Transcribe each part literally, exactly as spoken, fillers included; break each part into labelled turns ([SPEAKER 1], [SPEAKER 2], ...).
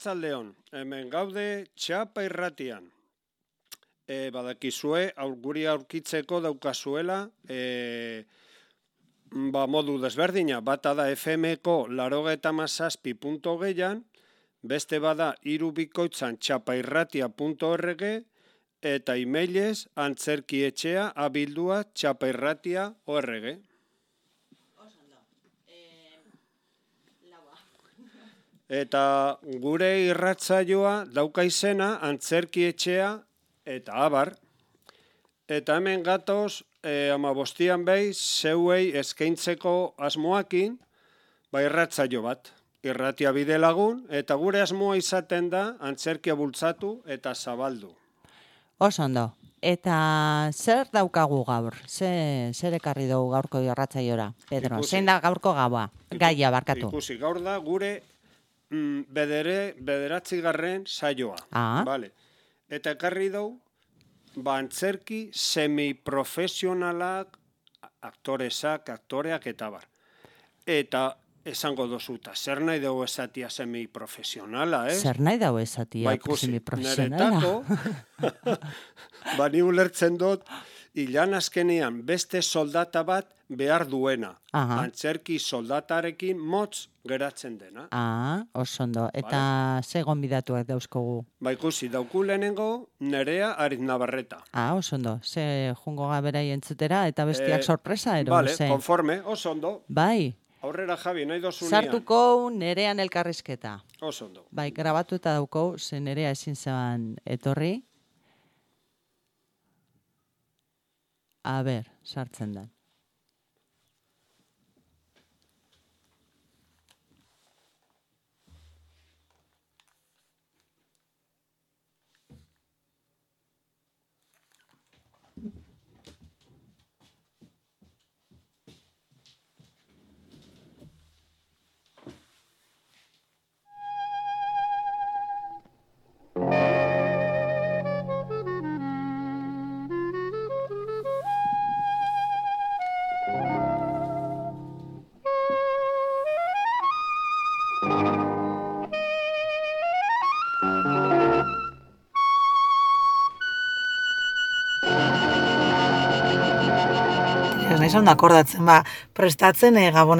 [SPEAKER 1] Arratzaldeon, hemen gaude Txapa irratian. E, badakizue, aur, guri aurkitzeko daukazuela, e, ba, modu desberdina, bata da F M-ko laurogeita hamazazpi puntu hogeian, beste bada irubikoitzan txapairratia puntu org, eta emailez antzerkietxea abildua txapairratia puntu org. Eta gure irratzaioa dauka izena antzerkietxea eta abar. Eta hemen gatoz, e, amabostian behi, zeuei eskaintzeko asmoakin, ba irratzaio bat. Irratia bide lagun, eta gure asmoa izaten da antzerkia bultzatu eta zabaldu.
[SPEAKER 2] Oso ondo. Eta zer daukagu gaur? Ze, zer ekarri dugu gaurko irratzaiora? Pedro,
[SPEAKER 1] Ikusi.
[SPEAKER 2] zein da gaurko gaua? Gaia barkatu.
[SPEAKER 1] Ikusi, gaur da gure mm, bedere, bederatzigarren saioa.
[SPEAKER 2] Ah.
[SPEAKER 1] Vale. Eta ekarri dugu, ba antzerki semiprofesionalak, aktoresak, aktoreak eta bar. Eta esango dozuta, zer nahi dugu esatia semiprofesionala, ez?
[SPEAKER 2] Zer nahi dago esatia
[SPEAKER 1] Ba ikusi,
[SPEAKER 2] semiprofesionala?
[SPEAKER 1] neretako, ba ni ulertzen dut, ilan azkenean beste soldata bat behar duena.
[SPEAKER 2] Aha.
[SPEAKER 1] Antzerki soldatarekin motz geratzen dena.
[SPEAKER 2] Ah, oso ondo. Eta ze gonbidatuak dauzkogu?
[SPEAKER 1] Ba ikusi, dauku lehenengo Nerea Ariznabarreta.
[SPEAKER 2] Ah, oso ondo. Ze jungo gaberai entzutera eta bestiak
[SPEAKER 1] Eh,
[SPEAKER 2] sorpresa, ero?
[SPEAKER 1] Vale,
[SPEAKER 2] ze?
[SPEAKER 1] konforme, oso ondo.
[SPEAKER 2] Bai,
[SPEAKER 1] Aurrera Javi, nahi dozunean.
[SPEAKER 2] sartuko nerean elkarrizketa.
[SPEAKER 1] Oso ondo.
[SPEAKER 2] Bai, grabatu eta dauko, ze nerea ezin zeban etorri. A ber, sartzen da.
[SPEAKER 3] Ez nahi zaun akordatzen, ba, prestatzen e, gabon.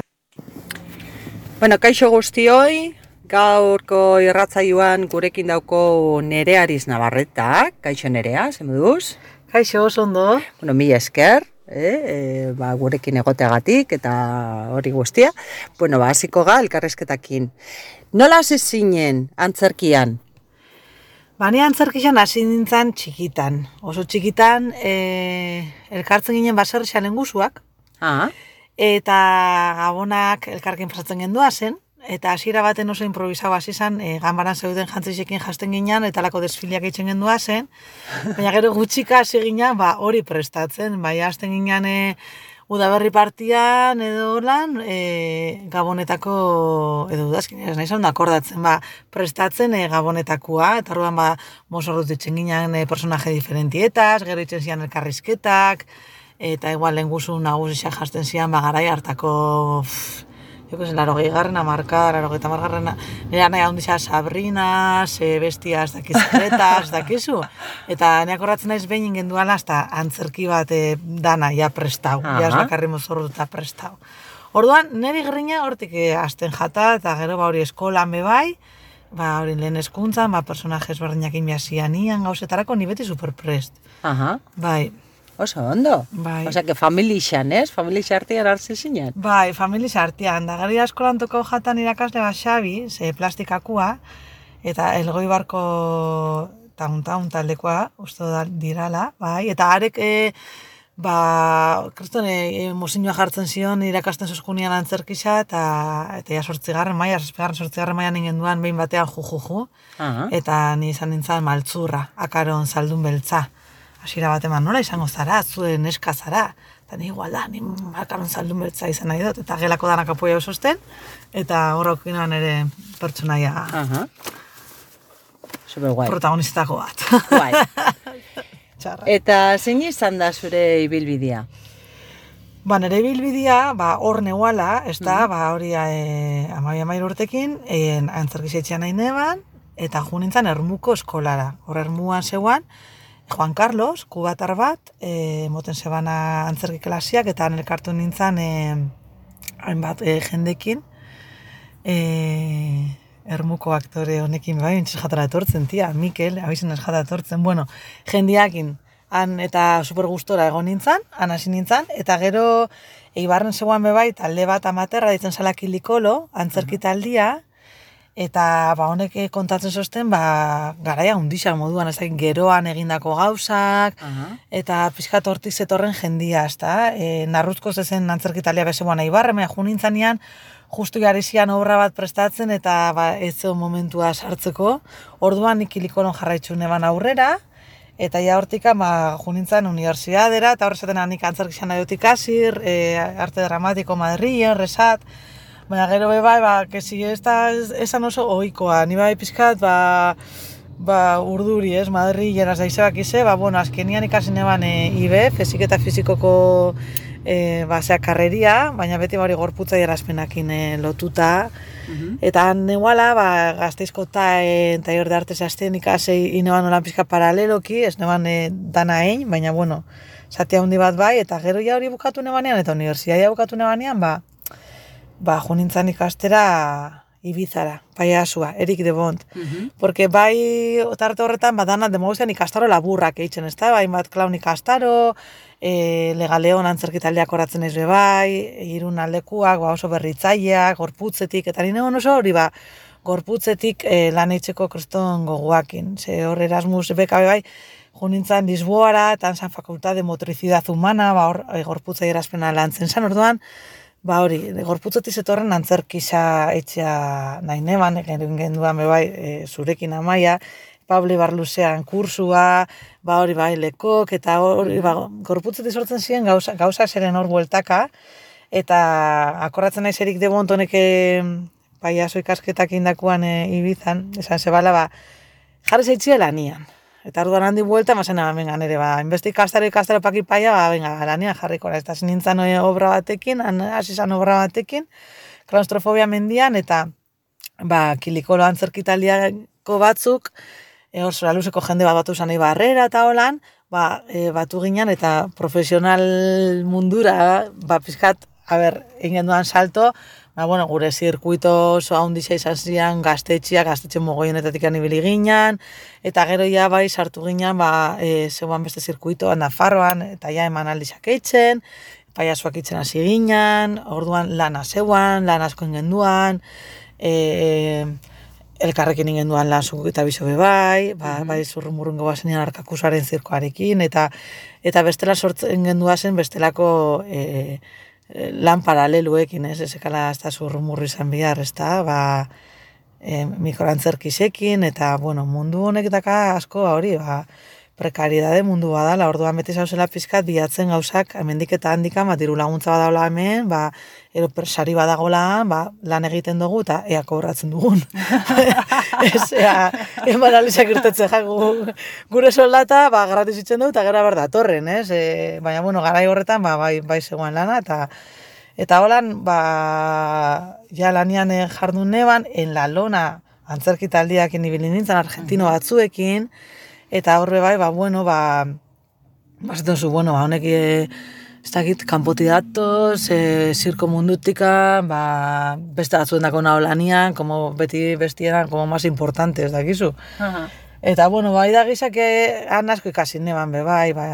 [SPEAKER 3] Bueno, kaixo guztioi, gaurko irratzaioan gurekin dauko Nerea Ariznabarreta. Kaixo Nerea, ze moduz?
[SPEAKER 4] Kaixo, oso ondo.
[SPEAKER 3] Bueno, mila esker, eh, e, ba, gurekin egoteagatik eta hori guztia. Bueno, ba, hasiko ga elkarrezketakin. Nola hasi zinen antzerkian?
[SPEAKER 4] Ba, ni antzerkian hasi nintzen txikitan. Oso txikitan, e, elkartzen ginen baserri lengusuak,
[SPEAKER 3] Ah,
[SPEAKER 4] eta gabonak elkarkin pasatzen gendua zen, eta hasiera baten oso improvisau hasi zen, e, ganbaran zeuden jantzisekin jasten ginen, eta lako desfiliak egiten gendua zen, baina gero gutxika hasi ginen, ba, hori prestatzen, bai, hasten ginen e, udaberri partian edo lan, e, gabonetako, edo udazkin, ez nahi zaun akordatzen, ba, prestatzen e, gabonetakoa, eta orduan ba, mozorrut ditzen ginen e, personaje diferentietas, gero itzen zian elkarrizketak, eta igual lenguzu nagusiak jasten zian, ba, garai hartako, pff, joko zen, laro gehigarren amarka, laro gehieta margarren, nire nahi ahondizia Sabrina, ze bestiaz, dakizkretas, dakizu. Eta neak horratzen naiz behin ingenduala, hasta antzerki bat e, dana, ja prestau,
[SPEAKER 3] Aha.
[SPEAKER 4] ja ez bakarri mozorruta prestau. Orduan, niri grina hortik e, hasten jata, eta gero ba hori eskolan bebai, ba hori lehen hezkuntzan, ba personajes berdinak inbiazian ian gauzetarako, ni beti superprest.
[SPEAKER 3] aha,
[SPEAKER 4] Bai,
[SPEAKER 3] oso ondo.
[SPEAKER 4] Bai.
[SPEAKER 3] Osea, que familixan, ez? Familixa artean hartze zinen.
[SPEAKER 4] bai, familia artean, da gari eskolan toko jatan irakasle bat Xabi, ze plastikakua, eta elgoi barko taun-taun taldekoa, uste da dirala, bai, eta arek, e, ba, kriston, e, mozinua jartzen zion irakasten zuzkunian antzerkisa, eta, eta ja sortzigarren maia, zazpigarren sortzigarren maia ningen duan behin batean ju-ju-ju,
[SPEAKER 3] Aha.
[SPEAKER 4] eta ni izan nintzen maltzurra, akaron zaldun beltza. Hasiera bat eman, nola izango zara, zuen neska zara. Eta ni igual da, ni akaron zaldun beltza izan nahi dut, eta gelako danak apoia ososten, eta horrok inoan ere pertsonaia
[SPEAKER 3] Aha. Super guai.
[SPEAKER 4] protagonistako bat.
[SPEAKER 3] Guai.
[SPEAKER 4] Txarra.
[SPEAKER 3] Eta zein izan da zure ibilbidea?
[SPEAKER 4] Ba, nire bilbidea, ba, hor neuala, ez da, ba, hori e, amai amairu urtekin, e, antzerkizia etxean nahi neban, eta jo nintzen Ermuko eskolara. Hor Ermuan zeuan, Juan Carlos, kubatar bat, e, moten zebana antzerki klasiak, eta elkartu nintzen e, hainbat e, jendekin, e, Ermuko aktore honekin, bai, entzes jatara etortzen, tia, Mikel, abizen ez jatara etortzen, bueno, jendiakin, han eta super gustora egon nintzen, han hasi nintzen, eta gero Eibarren zegoan bebai, talde bat amaterra ditzen zala Kilikolo, antzerki taldia, eta ba, honek kontatzen zosten, ba, garaia hundixak moduan, ez da, geroan egindako gauzak, uh-huh. eta pixkat hortik zetorren jendia, ez da, e, narruzko zezen antzerki taldea bezegoan Eibarren, mea ju nintzanean, justu jarizian obra bat prestatzen, eta ba, ez zeo momentua sartzeko, orduan nik Kilikolon jarraitzu neban aurrera, eta ja hortika, ba, jo nintzen unibertsitatera, eta horrezaten nik antzerki xana dut ikasir, e, arte dramatiko Madrilen, resat, baina gero bebai, ba, kesi ez da esan oso ohikoa, ni bai pizkat, ba, ba, urduri, ez, Madrilen, az daizebak ize, ba, bueno, azkenian ikasi neban e, I B, fiziketa fizikoko e, ba, zea karreria, baina beti bari gorputza erazpenakin e, lotuta, uh-huh. eta neuala, ba, Gasteizko taen, taller de artes azten ikasei ineban olan pizka paraleloki, ez neban e, dana egin, baina, bueno, zati handi bat bai, eta gero ja hori bukatu nebanean, eta unibertsitatea bukatu nebanean, ba, ba, jo nintzen ikastera Ibizara, paiasua, Erik de Bont. Uh-huh. Porque bai, tarte horretan, ba, dana demogustean ikastaro laburrak eitzen, ez da? Bai, bat klaun ikastaro, e, Legaleon antzerkitaldeak horatzen ez be bai, irun aldekuak, ba, oso berritzaileak, gorputzetik, eta nire oso hori, ba, gorputzetik e, lan eitzeko kriston goguakin. Ze hor Erasmus beka be bai, jo nintzen Lisboara, eta San Facultad de Motricidad Humana, ba, hor e, gorputzai erazpena lantzen zen, orduan, ba hori, gorputzetik zetorren antzerkisa etxea nahi neban, egin genduan bebai e, zurekin amaia, Pablo Barluzean kursua, ba hori bai lekok, eta hori, ba, gorputzetik sortzen ziren gauza, gauza zeren hor bueltaka, eta akorratzen naiz Erik de Bont honek paiazo ikasketak indakuan e, Ibizan, esan zebala, ba, jarri zaitxia lanian. Eta orduan handi buelta, mazena, venga, nire, ba, inbesti ikastaro ikastaro paki paia, ba, venga, lanian jarriko, ez da zinintzan obra batekin, hasi zan obra batekin, klaustrofobia mendian, eta, ba, Kilikolo antzerkitaliako batzuk, e, hor zora luzeko jende bat batu zan Ibarrera eta holan, ba, e, batu ginen, eta profesional mundura, ba, pizkat, a ber, egin duan salto, ba, bueno, gure zirkuito oso handixa izan zian, gaztetxia, gaztetxe mogoionetatik anibili ginen, eta gero ja bai sartu ginen, ba, e, zeuan beste zirkuitoan, Nafarroan, eta ja eman aldizak eitzen, paiasuak eitzen hasi ginen, orduan lana zeuan, lan asko ingenduan, e, elkarrekin ingenduan lan zuk eta bizo bai, ba, mm-hmm. bai zurrumurrun gobazenean arkakusaren zirkoarekin, eta eta bestela sortzen gendua zen bestelako e, lan paraleluekin, ez, ezekala ez da zurrumurri izan bihar, ez da, ba, e, mikroantzerkisekin, eta, bueno, mundu honek daka asko, hori, ba, prekaridade mundu badala, orduan beti zauzela pizkat bilatzen gauzak, hemendik eta handikan, ba, diru laguntza badagola hemen, ba, ero sari badagola, ba, lan egiten dugu, eta ea kobratzen dugun. Ez, ea, eman alizak irtetzen jagu, gure soldata, ba, gratis itzen dugu, eta gara behar datorren, ez? E, baina, bueno, garai horretan, ba, bai, bai zegoen lana, eta eta holan, ba, ja lanian jardun neban, en la lona, antzerki taldiak inibili nintzen, argentino batzuekin, eta horre bai, ba, bueno, ba, bazetan zu, bueno, ba, honek, e, ez dakit, kanpoti datoz, e, zirko mundutika, ba, beste batzuen dako naho lanian, como beti bestienan, como más importantes, dakizu. Uh-huh. Eta, bueno, bai da gizak, han asko ikasi neban, be, bai, ba,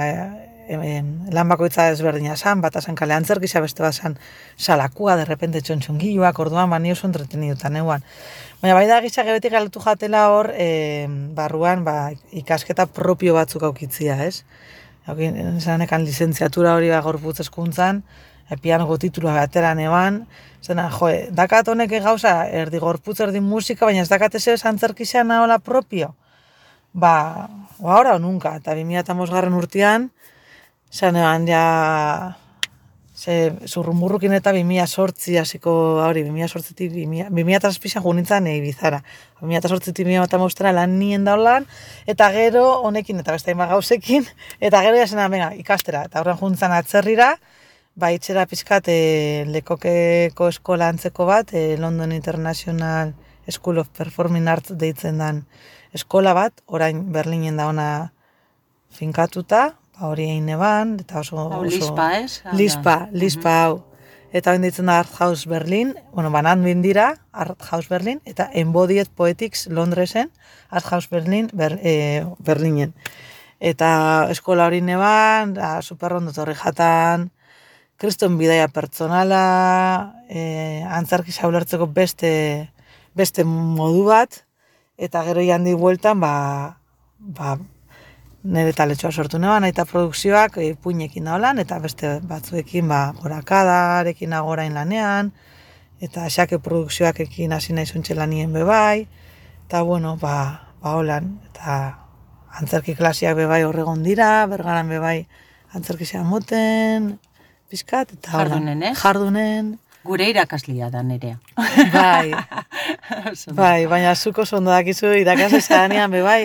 [SPEAKER 4] e, lan bakoitza ezberdina zan, bat azan kale antzerkisa, beste bat zan salakua, de repente txontxongiloak, orduan, ba, ni oso entretenidutan neuan. Baina bai da gizak ebetik galtu jatela hor, e, barruan, ba, ikasketa propio batzuk aukitzia, ez? Zanekan lizentziatura hori ba, gorputz eskuntzan, e, pianoko titulua bateran eban, zena, jo, dakat honek gauza, erdi gorputz, erdi musika, baina ez dakat ez ez antzerkizan nahola propio. Ba, ba, ora o nunca, eta bi mila hamabosgarren urtean, zanean ja, ze, zurrumurrukin eta bi mila zortzi hasiko, hori, bi mila zortzitik, bi mila zazpian jo nintzen Ibizara. bi mila zortzitik bi mila hamabostera lan nien daulan, eta gero honekin eta beste hainbat gauzekin, eta gero jasena, venga, ikastera, eta horren juntzen atzerrira, ba, itxera pizkat e, lekokeko eskola antzeko bat, e, London International School of Performing Arts deitzen dan eskola bat, orain Berlinen da ona finkatuta, ba, hori egin eban, eta oso...
[SPEAKER 3] Hau,
[SPEAKER 4] oso
[SPEAKER 3] Lispa, ez?
[SPEAKER 4] Lispa, Lispa hau. Eta hori deitzen da Art House Berlin, bueno, banan bindira, Art House Berlin, eta Embodied Poetics Londresen, Art House Berlin, ber, e, Berlinen. Eta eskola hori neban, da, superrondo torri jatan, kriston bidaia pertsonala, e, antzarkisa ulertzeko beste, beste modu bat, eta gero jandi bueltan, ba, ba, nire taletxoa sortu neban, eta produkzioak e, puinekin da holan, eta beste batzuekin ba, gorakadarekin agorain lanean, eta xake produkzioak ekin hasi nahi zuntxe lanien bebai, eta bueno, ba, ba holan, eta antzerki klasiak bebai horregon dira, bergaran bebai antzerki zean moten, pizkat, eta holan.
[SPEAKER 3] Jardunen, ez?
[SPEAKER 4] Jardunen.
[SPEAKER 3] Gure irakaslia da nerea.
[SPEAKER 4] Bai, bai, baina zuko ondo dakizu irakasle zaranean bebai,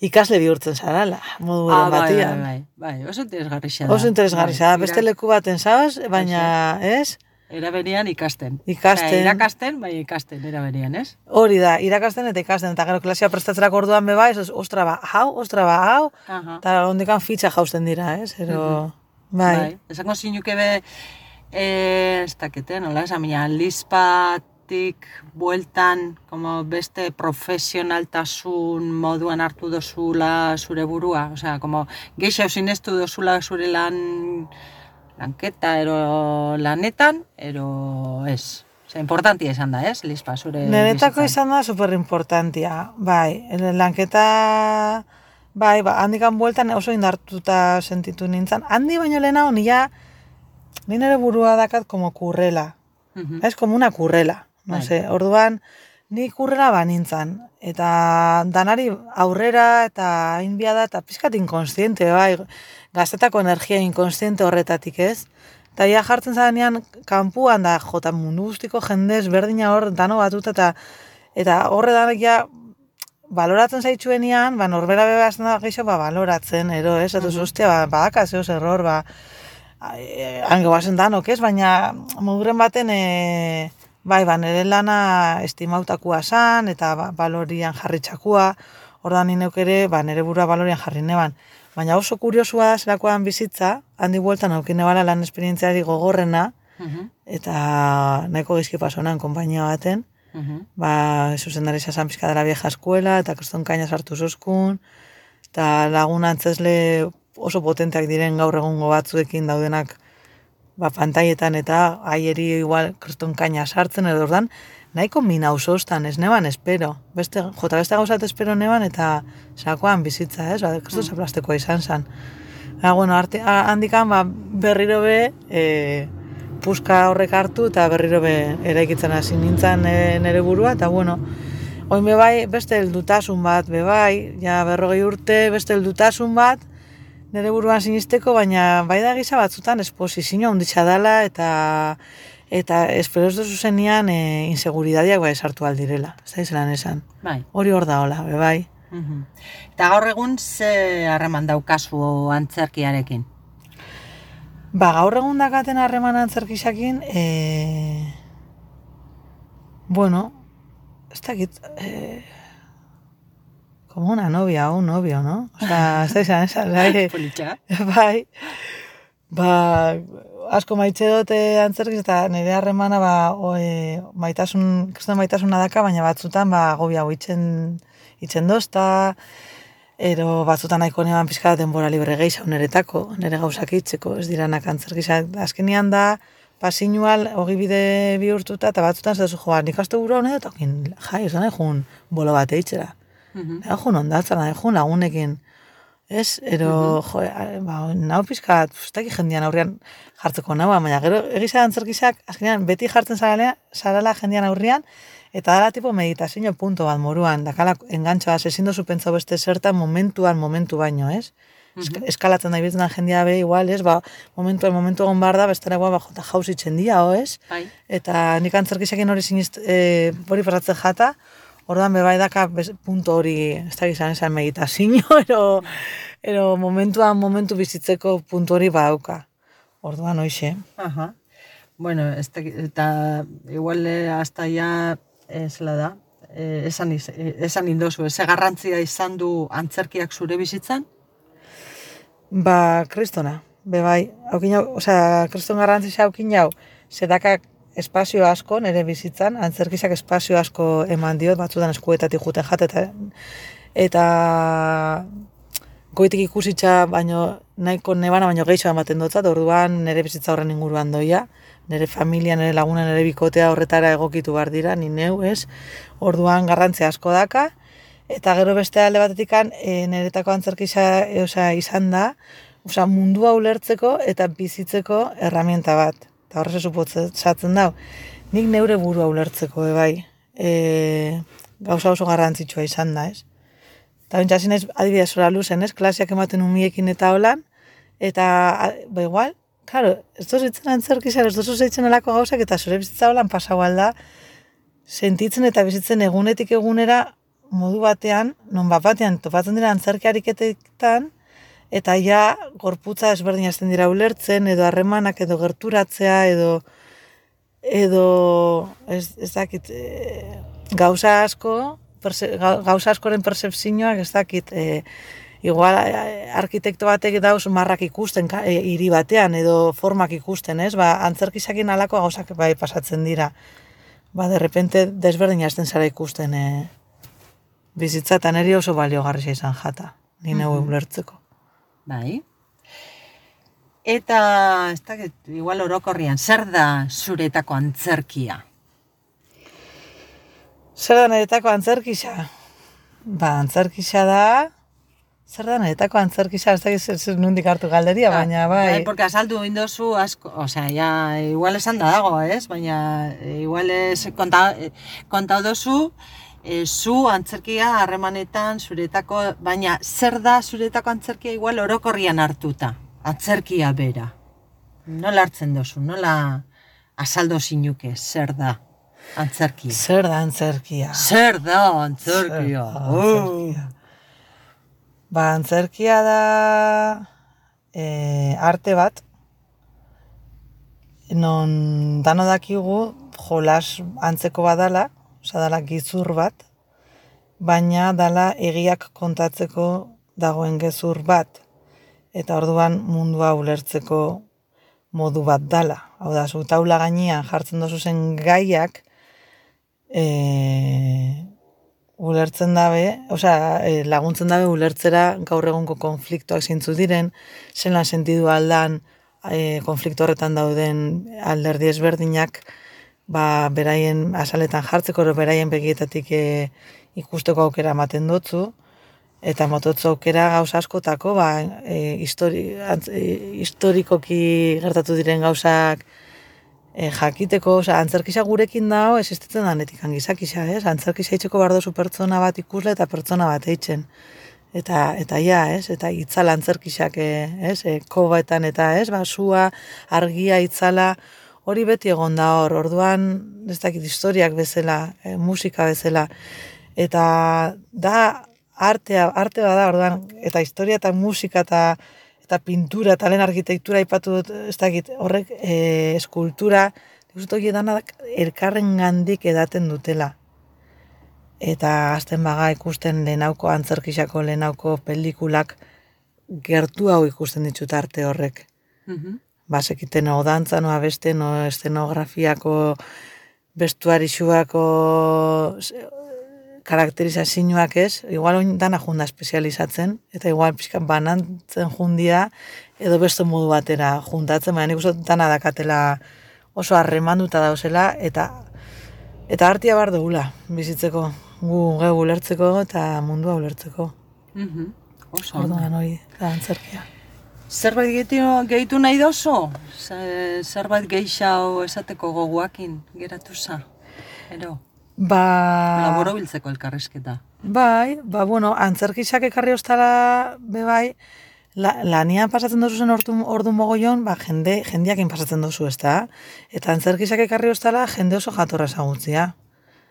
[SPEAKER 4] ikasle bihurtzen zarala, modu
[SPEAKER 3] ah,
[SPEAKER 4] eren
[SPEAKER 3] bai,
[SPEAKER 4] batian.
[SPEAKER 3] bai, bai, bai, oso interesgarria da.
[SPEAKER 4] Oso interesgarria da, beste leku baten zaoz, baina, ez?
[SPEAKER 3] Era berean ikasten.
[SPEAKER 4] Ikasten.
[SPEAKER 3] Osea, irakasten, bai ikasten, era berean, ez?
[SPEAKER 4] Hori da, irakasten eta ikasten, eta gero klasia prestatzerako orduan beba, ez, ostra ba, hau, ostra ba, hau, eta ondekan fitxa jausten dira, ez? Ero, bai.
[SPEAKER 3] Bai, esango zinuke be, ez dakete, nola, esan mina, lispatik bueltan, como beste profesionaltasun moduan hartu dozula zure burua, osea, como geixau sinestu dozula zure lan... lanketa, ero lanetan, ero ez. Osa, importantia izan da, ez, Lispa, zure
[SPEAKER 4] Niretako
[SPEAKER 3] bizitzan.
[SPEAKER 4] izan da superimportantia, bai. Lanketa, bai, ba, handikan bueltan oso indartuta sentitu nintzen. Handi baino lehenago, nila, ni nire burua dakat como kurrela.
[SPEAKER 3] Uh-huh.
[SPEAKER 4] Ez, como una kurrela. No
[SPEAKER 3] Bai.
[SPEAKER 4] sé, orduan, ni kurrela banintzan. Eta danari aurrera eta inbia da, eta pizkat inkonstiente, bai. Gaztetako energia inkonstiente horretatik, ez? Eta ia jartzen zarenean, kanpuan da, jota mundu guztiko jendez, berdina hor, dano batuta, eta eta horre danak ja, baloratzen zaitxuenian, ba, norbera bebazten da geixo, ba, baloratzen, ero, ez? Eta ostia, ba, badaka zehoz error, ba, hango bazen danok, ez? Baina, moduren baten, e, bai, ba, nire lana estimautakua zan, eta ba, balorian jarritxakua, ordan nineuk ere, ba, nire burua balorian jarri neban. Baina oso kuriosua da zelakoan bizitza, handi bueltan aukine bala lan esperientziari gogorrena, uh-huh. eta nahiko gizki pasonan konpainia baten, uh-huh. ba, zuzendari zazan pizka dela vieja eskuela, eta kriston kaina sartu zuzkun, eta lagun antzesle oso potenteak diren gaur egungo batzuekin daudenak ba, pantaietan eta aieri igual kriston kaina sartzen, edo ordan, nahiko mina ausostan, ez neban espero. Beste, jota beste gauzat espero neban eta sakoan bizitza, ez? Ba, kriston zaplastekoa izan zen. Ba, bueno, arte, handikan ba, berriro be, e, puska horrek hartu eta berriro be eraikitzen hasi nintzen e, nere burua, eta bueno, oin bebai beste heldutasun bat, bebai, ja berrogei urte, beste heldutasun bat, nere buruan sinisteko, baina bai da gisa batzutan esposizio handitza dela, eta eta espero ez duzu zenian e, inseguridadiak bai esartu aldirela, ez da izelan esan.
[SPEAKER 3] Bai.
[SPEAKER 4] Hori hor da hola, bebai.
[SPEAKER 3] Uh-huh. Eta gaur egun ze harreman daukazu antzerkiarekin?
[SPEAKER 4] Ba, gaur egun dakaten harreman antzerkisakin, e... bueno, ez dakit, e... como una novia o un novio, ¿no? O sea, ez da izan esan, bai,
[SPEAKER 3] Politxa.
[SPEAKER 4] bai, ba, asko maitxe dute antzerkiz, eta nire harremana, ba, o, e, maitasun, kriston maitasuna daka, baina batzutan, ba, gobi hau itxen, itxen dozta, ero batzutan nahiko neban pizka denbora libre gehiago niretako, nire gauzak itxeko, ez diranak antzerkizak. Azkenian da, pasinual, hogi bide bihurtuta, eta batzutan zezu joa, nik aste gura honen, eta okin, jai, ez da nahi jun bolo bat eitxera. Uh-huh. Nahi jun ondatzen, nahi jun lagunekin. Ez, ero, uh-huh. jo, ba, nau pizka, ustaki jendian aurrian jartzeko nau, baina gero egizia antzerkizak, azkenean, beti jartzen zarala, zarala jendian aurrian, eta dala tipo meditazio punto bat moruan, dakala engantzoa, ezin dozu pentsa beste zertan momentuan, momentu baino, ez? Uh-huh. Eskalatzen da ibiltzen jendia be, igual, ez? Ba, momentuan, momentu egon bar da, bestera ba, jota jauz itzen dia, o, ez? Bai. Eta nik antzerkizakin hori sinizt, e, hori pasatzen jata, orduan bebai daka punto hori, ez da gizan esan meditazio, ero, ero momentuan, momentu bizitzeko puntu hori badauka. Orduan, hoxe.
[SPEAKER 3] Aha. Bueno, ez da, eta igual hasta ya ez da, e, esan, iz, esan indozu, ze garrantzia izan du antzerkiak zure bizitzan?
[SPEAKER 4] Ba, kristona, be bai, haukin hau, osea, kriston garrantzia haukin hau, zedakak espazio asko nire bizitzan, antzerkizak espazio asko eman diot, batzutan eskuetatik juten jat, eta, eta goitik ikusitza, baino, nahiko nebana, baino gehiago ematen dutzat, orduan nire bizitza horren inguruan doia, nire familia, nire laguna, nire bikotea horretara egokitu behar dira, ni neu, ez? Orduan garrantzia asko daka, eta gero beste alde batetikan, e, niretako antzerkisa e, osea, izan da, osea, mundua ulertzeko eta bizitzeko herramienta bat. Eta horrez esupotzatzen dau. Nik neure burua ulertzeko, e, bai, e, gauza oso garrantzitsua izan da, ez? Eta bintxasin ez, adibidez zora luzen, ez? Klaseak ematen umiekin eta holan, eta, ba igual, claro, ez dozu zitzen antzerkizan, ez dozu zitzen alako gauzak, eta zure bizitza holan pasau alda, sentitzen eta bizitzen egunetik egunera modu batean, non bat batean topatzen dira antzerki ariketetan, eta ja gorputza ezberdin hasten dira ulertzen, edo harremanak, edo gerturatzea, edo edo ez, ez dakit, e, gauza asko, perse, gauza askoren percepzioak ez dakit, e, igual arkitekto batek dauz marrak ikusten e, hiri batean, edo formak ikusten, ez? Ba, antzerkizakin alako gauzak bai pasatzen dira. Ba, de repente desberdin hasten zara ikusten e, bizitza, eta niri oso baliogarria izan jata, ni neu
[SPEAKER 3] Mhm.
[SPEAKER 4] ulertzeko.
[SPEAKER 3] Bai. Eta, ez dakit, igual orokorrian, zer da zuretako antzerkia?
[SPEAKER 4] Zer da niretako antzerkisa? Ba, antzerkisa da... Zer da niretako antzerkisa? Ez dakit zer, zer nundik hartu galderia, baina bai...
[SPEAKER 3] Porque azaldu indozu asko, osea, ja, igual esan da dago, ez? Baina, igual ez konta, konta dozu, e, zu antzerkia harremanetan zuretako, baina zer da zuretako antzerkia igual orokorrian hartuta? Antzerkia bera. Nola hartzen dozu, nola azaldo zinuke, zer da antzerkia?
[SPEAKER 4] Zer da antzerkia?
[SPEAKER 3] Zer da antzerkia?
[SPEAKER 4] Zer da antzerkia? Ba, antzerkia da e, arte bat, non dano dakigu jolas antzeko badala, osea dala gizur bat, baina dala egiak kontatzeko dagoen gezur bat, eta orduan mundua ulertzeko modu bat dala. Hau da, zu taula gainean jartzen dozu zen gaiak, e, ulertzen dabe, osea, e, laguntzen dabe ulertzera gaur egungo konfliktoak zeintzu diren, zelan sentidu aldan e, konflikto horretan dauden alderdi ezberdinak, ba, beraien azaletan jartzeko, ero beraien begietatik e, ikusteko aukera ematen dutzu, eta mototzu aukera gauza askotako, ba, e, histori, antz, e, historikoki gertatu diren gauzak e, jakiteko, osea, antzerkisa gurekin dago existitzen danetik angizakisa, ez? Antzerkisa itxeko behar dozu pertsona bat ikusle eta pertsona bat eitzen. Eta, eta ja, ez? Eta itzala antzerkisak, ez? E, kobaetan eta, ez? Ba, sua, argia, itzala, hori beti egon da hor, orduan, ez dakit, historiak bezala, e, musika bezala, eta da artea, arte bada, orduan, eta historia eta musika eta eta pintura eta lehen arkitektura aipatu dut, ez dakit, horrek e, eskultura, ikusten hori danak elkarren gandik edaten dutela. Eta azten baga ikusten lehenauko antzerkisako lehenauko pelikulak gertu hau ikusten ditut arte horrek.
[SPEAKER 3] Mhm.
[SPEAKER 4] Basekiten no dantza, no abeste, no estenografiako, bestuarixuako karakterizazioak ez, igual oin dana junda espezializatzen, eta igual pixka banantzen jundia, edo beste modu batera juntatzen, baina nik uste dana dakatela oso harremanduta dauzela, eta eta artia bar dugula bizitzeko, gu geu ulertzeko eta mundua ulertzeko.
[SPEAKER 3] Mhm. Oso.
[SPEAKER 4] Orduan hori da antzerkia.
[SPEAKER 3] Zerbait gehitu, gehitu nahi dozu? Ze- Zerbait gehiago esateko goguakin geratu za? Ero,
[SPEAKER 4] Ba...
[SPEAKER 3] laboro biltzeko elkarrizketa.
[SPEAKER 4] Bai, ba, bueno, antzerkisak ekarri ostala, be bai, la, lanian pasatzen dozu zen ordu, ordu mogoion, ba, jende, jendiakin pasatzen dozu, ez da? Eta antzerkisak ekarri ostala, jende oso jatorra ezagutzia.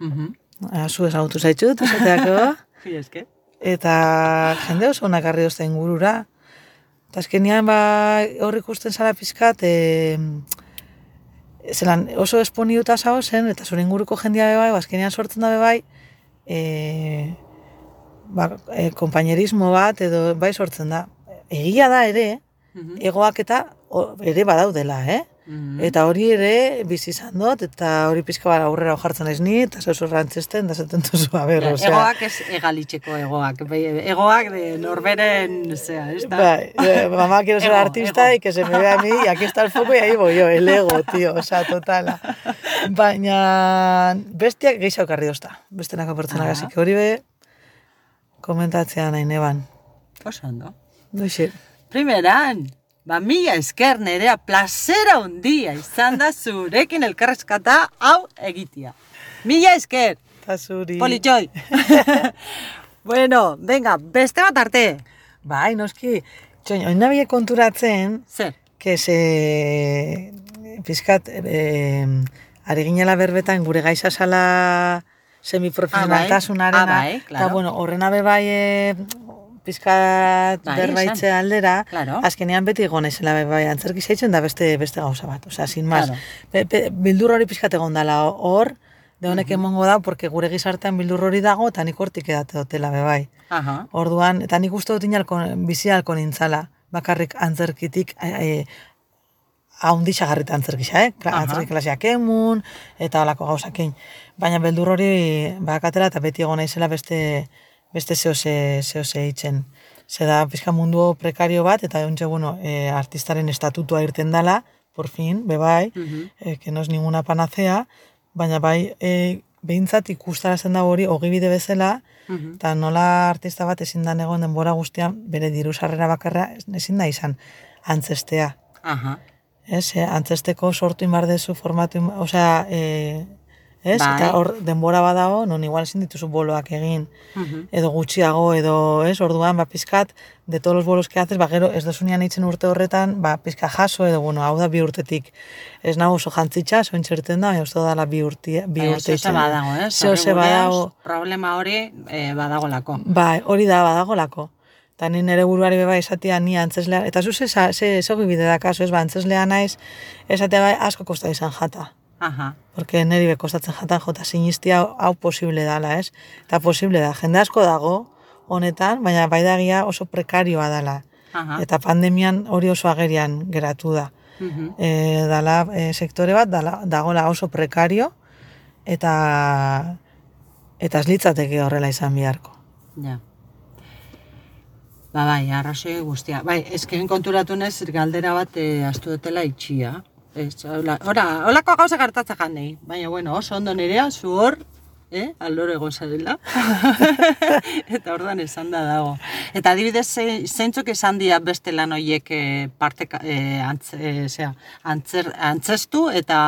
[SPEAKER 3] Mhm.
[SPEAKER 4] Ah, zu ezagutu zaitxut, esateako.
[SPEAKER 3] Mila esker.
[SPEAKER 4] Eta jende oso onak ekarri ozta ingurura. Eta azkenean, ba, hor ikusten zara pizkat, e, zelan oso esponiuta zao zen, eta zure inguruko jendia bebai, bazkenean sortzen da bebai, e, ba, e, kompainerismo bat, edo bai sortzen da. Egia da ere,
[SPEAKER 3] Mhm.
[SPEAKER 4] egoak eta o, ere badaudela, eh?
[SPEAKER 3] Mhm.
[SPEAKER 4] Eta hori ere bizi izan dut, eta hori pizka bat aurrera jartzen ez ni, eta zeu rantzesten, da zaten duzu, a ber, osea.
[SPEAKER 3] Egoak ez egalitzeko egoak. Bai, egoak de norberen, zea, ez da?
[SPEAKER 4] Bai, eh, mamá quiero ser
[SPEAKER 3] Ego,
[SPEAKER 4] artista
[SPEAKER 3] ego.
[SPEAKER 4] y que se me vea a mí y aquí está el foco y ahí voy yo, el ego, tío, osea, totala. Baina bestiak gehiago karri dozta, bestenako pertsonak,
[SPEAKER 3] Ah.
[SPEAKER 4] así que hori be komentatzea nahi neban.
[SPEAKER 3] Oso ondo.
[SPEAKER 4] Duxe.
[SPEAKER 3] Primeran, ba, mila esker nerea plazera hundia izan da zurekin elkarrezkata hau egitea. Mila esker,
[SPEAKER 4] Eta zuri.
[SPEAKER 3] politxoi. Bueno, venga, beste bat arte.
[SPEAKER 4] Bai, noski, txoin, oin nabie konturatzen,
[SPEAKER 3] Zer?
[SPEAKER 4] que se pizkat eh, ari ginela berbetan gure gaiza sala semiprofesionaltasunarena,
[SPEAKER 3] Ah, bai. Ah, bai, claro.
[SPEAKER 4] eta bueno, horrena be bai e, pizkat
[SPEAKER 3] Bai,
[SPEAKER 4] berbaitze
[SPEAKER 3] esan.
[SPEAKER 4] aldera,
[SPEAKER 3] Claro.
[SPEAKER 4] azkenean beti egon naizela be bai antzerki zaitzen da beste beste gauza bat, osea, sin más.
[SPEAKER 3] Claro.
[SPEAKER 4] Be, be, bildur hori pizkat egon dala hor, de honek emongo da, porque gure gizartean bildur hori dago, eta nik hortik edate dutela be bai.
[SPEAKER 3] Aha.
[SPEAKER 4] Orduan, eta nik uste dut inalko, bizi alko nintzala, bakarrik antzerkitik, e, haundi xagarrita antzerkisa, eh? Kla,
[SPEAKER 3] Aha.
[SPEAKER 4] antzerki klaseak emun, eta halako gauzakein. Baina beldur hori bakatela eta beti egon naizela beste, beste zehose, zehose itzen. Ze da, pizka mundu prekario bat, eta ontxe, bueno, e, artistaren estatutua irten dala, por fin, bebai,
[SPEAKER 3] Mhm.
[SPEAKER 4] e, que no es ninguna panacea, baina bai, e, behintzat ikustarazten da hori, ogibide bezala,
[SPEAKER 3] Mhm.
[SPEAKER 4] eta nola artista bat ezin da egon denbora guztian bere diru sarrera bakarra ezin da izan antzestea.
[SPEAKER 3] Aha.
[SPEAKER 4] Ez, eh, antzesteko sortu inbar dezu formatu, inbar, osea, eh, ez?
[SPEAKER 3] Bai.
[SPEAKER 4] Eta hor denbora badago, non igual ezin dituzu boloak egin,
[SPEAKER 3] Mhm.
[SPEAKER 4] edo gutxiago, edo, ez, orduan, ba, pizkat, de todos los bolos que haces, ba, gero, ez dozunean itzen urte horretan, ba, pizka jaso, edo, bueno, hau da bi urtetik. Ez nago oso jantzitsa, zoin txerten da, baina uste dala bi urte, bi
[SPEAKER 3] Baina
[SPEAKER 4] urte
[SPEAKER 3] zehose
[SPEAKER 4] itzen.
[SPEAKER 3] badago, eh?
[SPEAKER 4] Zehose badago.
[SPEAKER 3] Problema hori eh, badagolako.
[SPEAKER 4] Bai, hori da badagolako. Eta ni nire buruari beba esatia ni antzeslea, eta zu ze, ze, ze bide da kaso, ez ba, antzeslea naiz, esatea bai asko kosta izan jata.
[SPEAKER 3] Aha.
[SPEAKER 4] Porque niri be kostatzen jatan jota sinistia hau, hau posible dala, ez? Eta posible da, jende asko dago honetan, baina bai dagia oso prekarioa dala.
[SPEAKER 3] Aha.
[SPEAKER 4] Eta pandemian hori oso agerian geratu da.
[SPEAKER 3] Mhm.
[SPEAKER 4] E, dala e, sektore bat dala, dagola oso prekario, eta eta ez litzateke horrela izan biharko.
[SPEAKER 3] Ja. Ba, bai, arrazoi guztia. Bai, ezken konturatu nez, galdera bat eh, astu dutela itxia. Ez, hola, ora, holako gauza gertatza janei. Baina, bueno, oso ondo nerea, zu hor, eh, aldoro egon zarela. Eta orduan esan da dago. Eta adibidez, ze- zeintzuk esan dira beste lan horiek eh, parte, eh, antz, eh, zera, antzer, antzestu, eta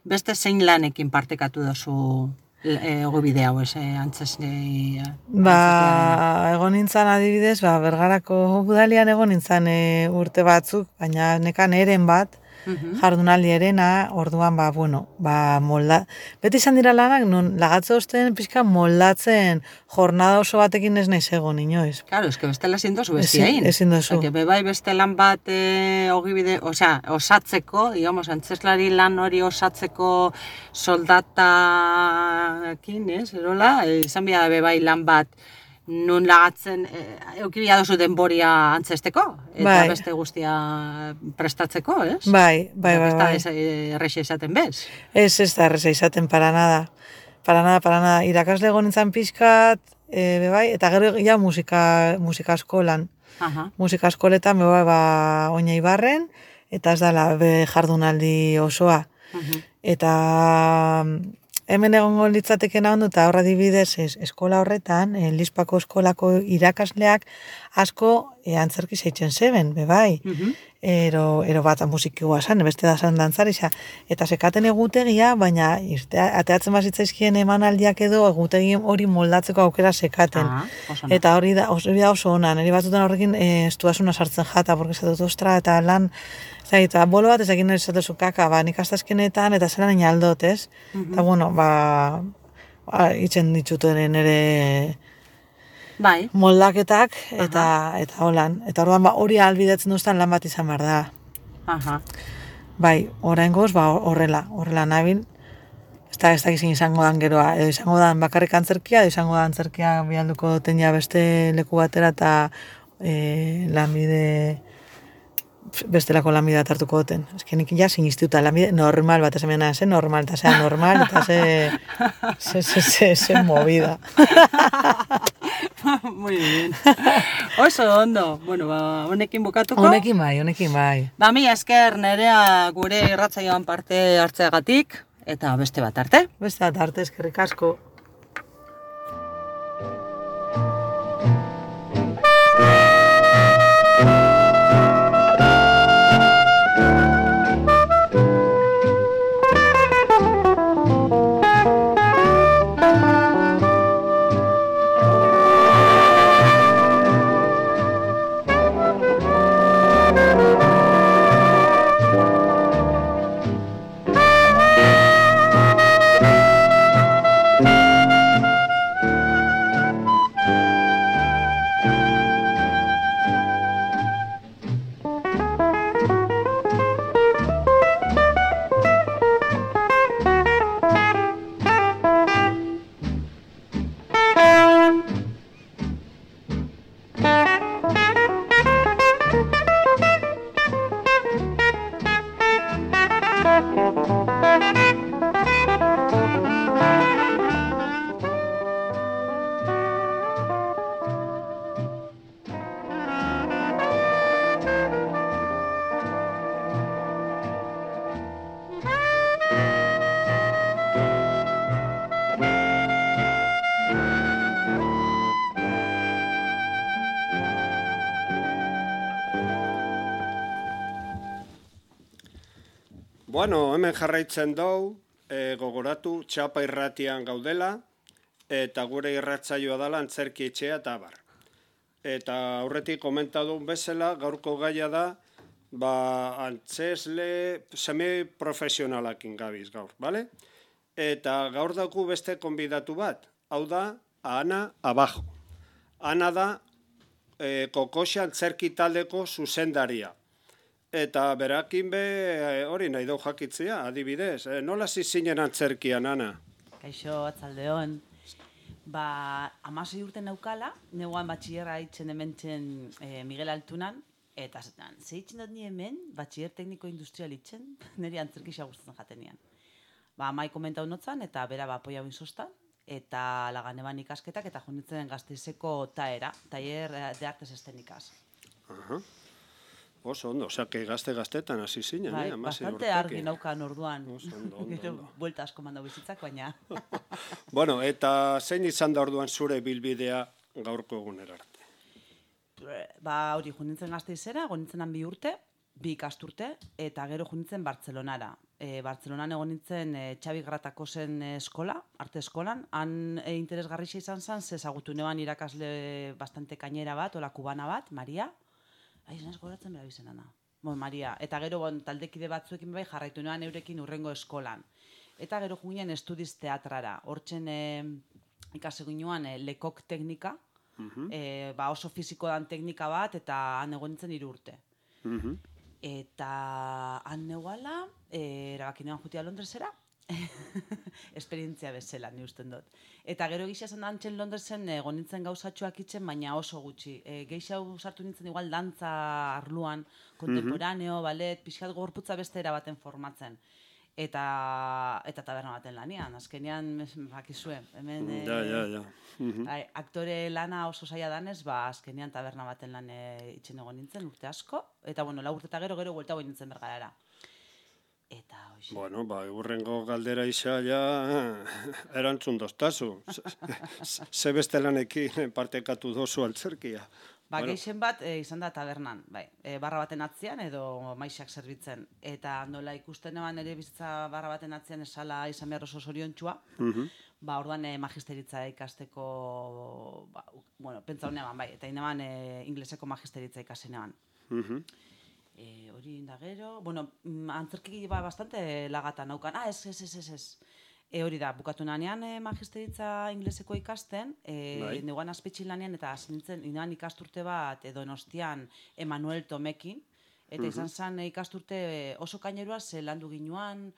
[SPEAKER 3] beste zein lanekin partekatu dozu e, ogibide hau, ez, eh, antzesne...
[SPEAKER 4] Ba, egon nintzen adibidez, ba, Bergarako udalian egon nintzen e, urte batzuk, baina nekan eren bat,
[SPEAKER 3] Mhm.
[SPEAKER 4] jardunaldi erena, orduan, ba, bueno, ba, molda... Beti izan dira lanak, non lagatze osten pixka moldatzen jornada oso batekin ez naiz egon, inoiz.
[SPEAKER 3] Claro, es que bestela ezin dozu
[SPEAKER 4] Ezin-
[SPEAKER 3] bestiain.
[SPEAKER 4] ezin dozu.
[SPEAKER 3] Porque bebai beste lan bat e, ogibide, osea, osatzeko, digamos, antzeslari lan hori osatzeko soldatakin, ez, erola, e, izan bia bebai lan bat nun lagatzen, e, eukibia dozu denboria antzesteko, eta
[SPEAKER 4] Bai.
[SPEAKER 3] beste guztia prestatzeko, ez?
[SPEAKER 4] Bai, bai, bai, bai.
[SPEAKER 3] Ez da errexe esaten bez.
[SPEAKER 4] Ez, ez da erreza izaten para nada. Para nada, para nada. Irakasle egon nintzen pixkat, e, bebai, eta gero ja musika, musika eskolan.
[SPEAKER 3] Aha.
[SPEAKER 4] Musika eskoletan, bebai, ba, oina ibarren, eta ez dala be jardunaldi osoa.
[SPEAKER 3] Mhm.
[SPEAKER 4] Eta mm, hemen egongo litzatekena ondo, eta horra dibidez es, eskola horretan, e, Lizpako eskolako irakasleak asko e, antzerki zeitzen zeben, bebai.
[SPEAKER 3] Mhm.
[SPEAKER 4] Ero, ero bat musikikoa zan, beste da zan dantzarisa. Eta sekaten egutegia, baina irtea, ateatzen bazitzaizkien emanaldiak edo egutegi hori moldatzeko aukera sekaten.
[SPEAKER 3] Ah, oso ondo.
[SPEAKER 4] Eta hori da, hori da oso ona, niri batzutan horrekin e, estuasuna sartzen jata, porque esatut ostra, eta lan, zai, eta bolo bat ezakin nire esatezu kaka, ba, nik astazkenetan, eta zelan nina aldot, ez? Eta bueno, ba, ba itzen dituten nire
[SPEAKER 3] Bai.
[SPEAKER 4] moldaketak, eta, eta holan. Eta orduan, ba, hori albidetzen duztan lan bat izan behar da.
[SPEAKER 3] Aha.
[SPEAKER 4] bai, oraingoz, ba, horrela, horrela nabil, ez da, ez da izin izango dan geroa, edo izango dan bakarrik antzerkia, edo izango da antzerkia bialduko duten ja beste leku batera, eta e, lanbide, bestelako lanbidea hartuko duten. Ez que nik ja sinistuta, lanbide normal bat, esan ze normal, eta zea normal, eta ze, ze, ze, ze, ze movida.
[SPEAKER 3] Muy bien. Oso ondo. Bueno, ba, honekin bukatuko.
[SPEAKER 4] Honekin bai, honekin bai.
[SPEAKER 3] Ba, mi esker Nerea gure irratsaioan parte hartzeagatik, eta beste bat arte.
[SPEAKER 4] Beste bat arte, eskerrik asko.
[SPEAKER 1] Bueno, hemen jarraitzen dugu, e, gogoratu, Txapa irratian gaudela, eta gure irratsaioa dela antzerki etxea eta abar. Eta aurretik komentadun bezala, gaurko gaia da, ba, antzesle semi-profesionalakin gabiz gaur, bale? Eta gaur dauku beste konbidatu bat, hau da, Ana Abajo. Ana da, e, Kokoxa antzerki taldeko zuzendaria. Eta berakin be, hori nahi dau jakitzea, adibidez. E, nola zizinen antzerkian, Ana?
[SPEAKER 2] Kaixo, atzaldeon. Ba, amasei urte naukala, neguan batxillerra itzen hementzen e, Miguel Altunan, eta zetan, ze itzen dut ni hemen, batxiller tekniko industrial itzen, niri antzerki xagusten jatenian. Ba, mai komentau notzan, eta bera ba, apoia huin sostan, eta lagan eban ikasketak, eta jonitzen Gasteizeko taera, taller de artes escenicas.
[SPEAKER 1] Aha. Oso ondo, osea, que gazte-gaztetan hasi zinen,
[SPEAKER 2] bai,
[SPEAKER 1] eh?
[SPEAKER 2] Bastante argi naukan orduan.
[SPEAKER 1] Oso ondo, ondo, ondo.
[SPEAKER 2] Buelta asko mandau bizitzak, baina...
[SPEAKER 1] Bueno, eta zein izan da orduan zure bilbidea gaurko egunera arte?
[SPEAKER 2] Ba, hori, junintzen Gasteizera, gonintzen bi urte, bi ikasturte, eta gero junintzen Bartzelonara. E, Bartzelonan egon nintzen e, Xabi Gratakosen eskola, arte eskolan, han e, interesgarrixa izan zen, zezagutu neban irakasle bastante kainera bat, ola kubana bat, Maria, Aiz, naz goratzen bera bizenana. Bon, Maria. Eta gero bon, taldekide batzuekin bai jarraitu noan eurekin urrengo eskolan. Eta gero juginen estudiz teatrara. Hortzen e, ikasegu inoan e, lekok teknika, uh-huh. e, ba oso fiziko dan teknika bat, eta han egon nintzen hiru urte. Uh-huh. Eta han neguala, e, erabakinean jutia Londresera, esperientzia bezala, ni usten dut. Eta gero gisa esan da antzen Londresen egon nintzen gauzatxoak itzen, baina oso gutxi. E, Geixau sartu nintzen igual dantza arluan, kontemporaneo, mm-hmm. balet, pixkat gorputza beste erabaten formatzen. Eta eta taberna baten lanian, azkenean bakizue, hemen e,
[SPEAKER 1] ja, ja, ja. Mm-hmm.
[SPEAKER 2] ai, aktore lana oso zaila danez, ba azkenean taberna baten lan e, itzen egon nintzen urte asko, eta bueno, lau urte eta gero gero vuelta goi nintzen bergarara. Eta hoxe.
[SPEAKER 1] Bueno, ba, urrengo galdera isa ja erantzun doztazu. Ze beste lanekin partekatu dozu antzerkia.
[SPEAKER 2] Ba,
[SPEAKER 1] bueno.
[SPEAKER 2] Geixen bat e, izan da tabernan, bai, e, barra baten atzian edo maixak zerbitzen. Eta nola ikusten eban ere bizitza barra baten atzian esala izan behar oso zoriontxua, uh-huh. ba, orduan e, magisteritza ikasteko, ba, bueno, pentsa honean bai, eta ineban e, ingleseko magisteritza ikasen eban. Uh-huh. E, hori da gero, bueno, antzerki ba bastante lagata naukan. Ah, ez, ez, ez, ez, ez. E, hori da, bukatu nanean e, magisteritza ingleseko ikasten, e, bai. Neguan azpetxin lanean, eta nintzen, inean ikasturte bat, edo Donostian Emanuel Tomekin, Eta izan zen ikasturte oso kainerua, ze landu ginuan,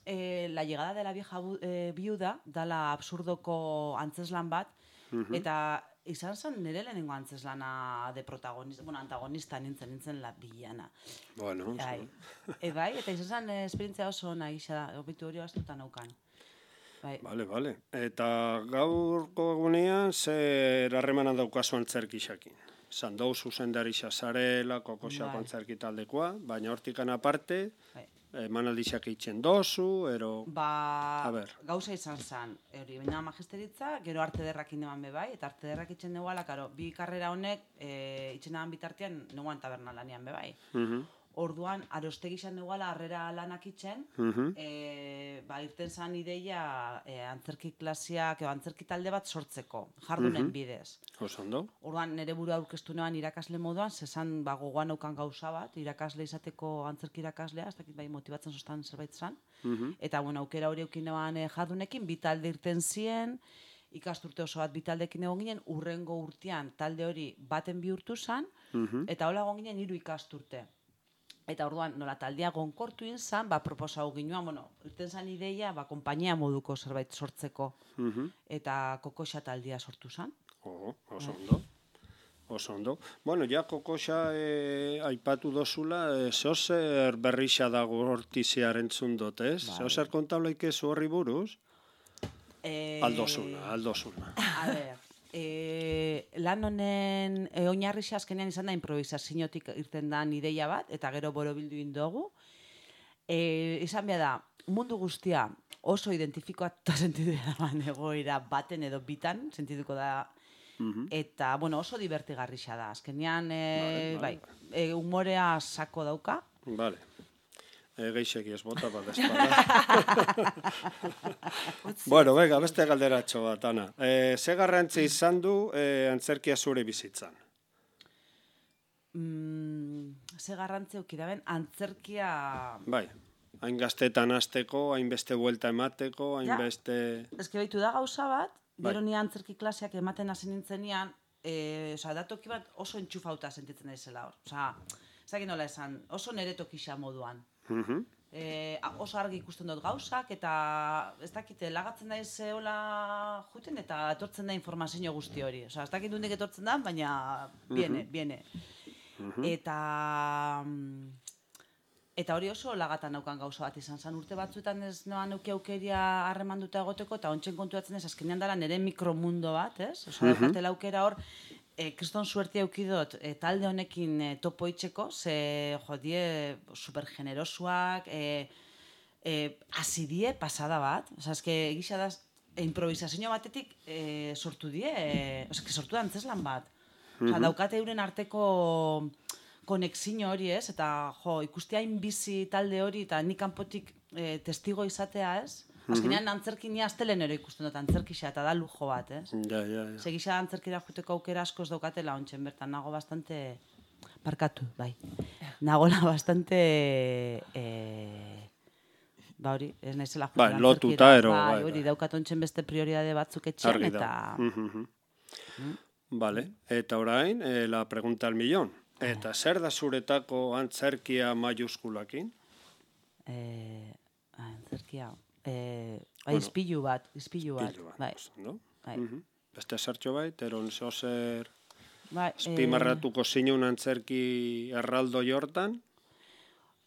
[SPEAKER 2] eh, La llegada de la vieja eh, viuda, dala absurdoko antzeslan bat, eta izan zen nire lehenengo antzeslana de protagonista, bueno, antagonista nintzen, nintzen la villana.
[SPEAKER 1] Bueno,
[SPEAKER 2] bai. E, bai, eta izan zen eh, esperientzia oso nahi da, obitu hori baztuta naukan. Bai.
[SPEAKER 1] Vale, vale. Eta gaurko egunean zer harremana daukazu antzerkixakin? Zandou zuzendarixa zarela, kokoxako
[SPEAKER 2] Bai.
[SPEAKER 1] antzerki taldekoa, baina hortikan aparte,
[SPEAKER 2] Bai.
[SPEAKER 1] emanaldixak eitzen dozu, ero...
[SPEAKER 2] Ba,
[SPEAKER 1] A ber.
[SPEAKER 2] gauza izan zen, hori, baina magisteritza, gero arte derrak indeman bebai, eta arte derrak itxen deguala, karo, bi karrera honek, e, itxen deban bitartean, neguan taberna lanian bebai.
[SPEAKER 1] Mhm,
[SPEAKER 2] Orduan, arostegi izan neguala, harrera lanak itxen,
[SPEAKER 1] mhm,
[SPEAKER 2] e, ba, irten zan ideia e, antzerki klasiak, edo antzerki talde bat sortzeko, jardunen bidez.
[SPEAKER 1] oso ondo.
[SPEAKER 2] Orduan, nire burua aurkeztu neban irakasle moduan, zezan ba, gogoan aukan gauza bat, irakasle izateko antzerki irakaslea, ez dakit bai motibatzen zoztan zerbait zan.
[SPEAKER 1] Mhm,
[SPEAKER 2] Eta, bueno, aukera hori eukin neban e, jardunekin, bi talde irten zien, ikasturte oso bat bi taldekin egon ginen, urrengo urtean talde hori baten bihurtu zan,
[SPEAKER 1] mhm,
[SPEAKER 2] eta hola egon ginen hiru ikasturte. Eta orduan, nola taldea gonkortu izan, ba, proposau ginuan, bueno, irten zan ideia, ba, konpainia moduko zerbait sortzeko,
[SPEAKER 1] mhm.
[SPEAKER 2] eta kokoxa taldea sortu zan.
[SPEAKER 1] Oh, oso ondo. Oso ondo. Bueno, ja kokoxa eh, aipatu dozula, eh, zeozer berrixa dago hortizia entzun dut, ez?
[SPEAKER 2] Bai.
[SPEAKER 1] Zeozer kontablaik ez horri buruz?
[SPEAKER 2] E...
[SPEAKER 1] Aldozuna, aldozuna.
[SPEAKER 2] A ber, e, lan honen e, oinarrixa azkenean izan da improvisaziotik irten da ideia bat, eta gero borobildu indogu. E, izan behar da, mundu guztia oso identifikoa sentidu da egoera baten edo bitan, sentituko da, eta, bueno, oso divertigarrixa da. Azkenean, e,
[SPEAKER 1] Vale, vale.
[SPEAKER 2] bai, e, humorea sako dauka.
[SPEAKER 1] Vale. E, geixeki ez bota bat espada. Bueno, bega, beste galderatxo bat, Ana. E, ze garrantzi izan du e, antzerkia zure bizitzan?
[SPEAKER 2] Mm, ze garrantzi euki da ben, antzerkia...
[SPEAKER 1] Bai, hain gaztetan hasteko, hainbeste buelta emateko, hainbeste...
[SPEAKER 2] Ez que behitu da gauza bat,
[SPEAKER 1] Bai.
[SPEAKER 2] gero ni antzerki klaseak ematen hasi nintzenean, e, oza, datoki bat oso entxufauta sentitzen daizela hor. Oza, ez dakit nola esan, oso nere tokixa moduan.
[SPEAKER 1] Mhm.
[SPEAKER 2] E, oso argi ikusten dut gauzak, eta ez dakite, lagatzen daiz hola juten, eta etortzen da informazio guzti hori. Oza, ez dakit dundik etortzen da, baina biene, biene. Eta... mm, Eta hori oso lagatan naukan gauza bat izan zen. Urte batzuetan ez noan euki aukeria harremanduta egoteko, eta ontsen kontuatzen ez, azkenean dela nire mikromundo bat, ez? Osa, daukatela aukera hor, e, kriston suertia eukidot e, talde honekin e, topo itxeko, ze, jo, die, supergenerosuak, e, e, azidie pasada bat. Osa, eske, egisa da, e, improvisazio batetik e, sortu die, e, osa, que sortu da antzeslan bat. Osa, daukate euren arteko konexio hori, ez? Eta, jo, ikusti hain bizi talde hori, eta nik kanpotik e, testigo izatea, ez? Azkenean antzerkinia astelen ere ikusten dut antzerkixa, eta da lujo bat, ez?
[SPEAKER 1] Ja, ja, ja.
[SPEAKER 2] Segisa antzerkira juteko aukera askoz daukatela ontsen bertan, nago bastante... Parkatu, bai. Nagola bastante... E, ba hori, ez naizela
[SPEAKER 1] Bai,
[SPEAKER 2] juten
[SPEAKER 1] lotuta, ero,
[SPEAKER 2] bai,
[SPEAKER 1] bai,
[SPEAKER 2] hori,
[SPEAKER 1] bai.
[SPEAKER 2] daukat ontsen beste prioridade batzuk etxean,
[SPEAKER 1] Argi
[SPEAKER 2] eta...
[SPEAKER 1] da. Mhm. Vale, eta orain, eh, la pregunta al millón. Eta zer da zuretako antzerkia maiuskulakin?
[SPEAKER 2] E, antzerkia... E, bai,
[SPEAKER 1] Bueno,
[SPEAKER 2] izpilu bat, izpilu bat,
[SPEAKER 1] Pilu bat,
[SPEAKER 2] bai.
[SPEAKER 1] oso ondo.
[SPEAKER 2] Bai.
[SPEAKER 1] Mhm. Beste sartxo bait, eron zozer
[SPEAKER 2] Bai,
[SPEAKER 1] espimarratuko zinun antzerki erraldo jortan?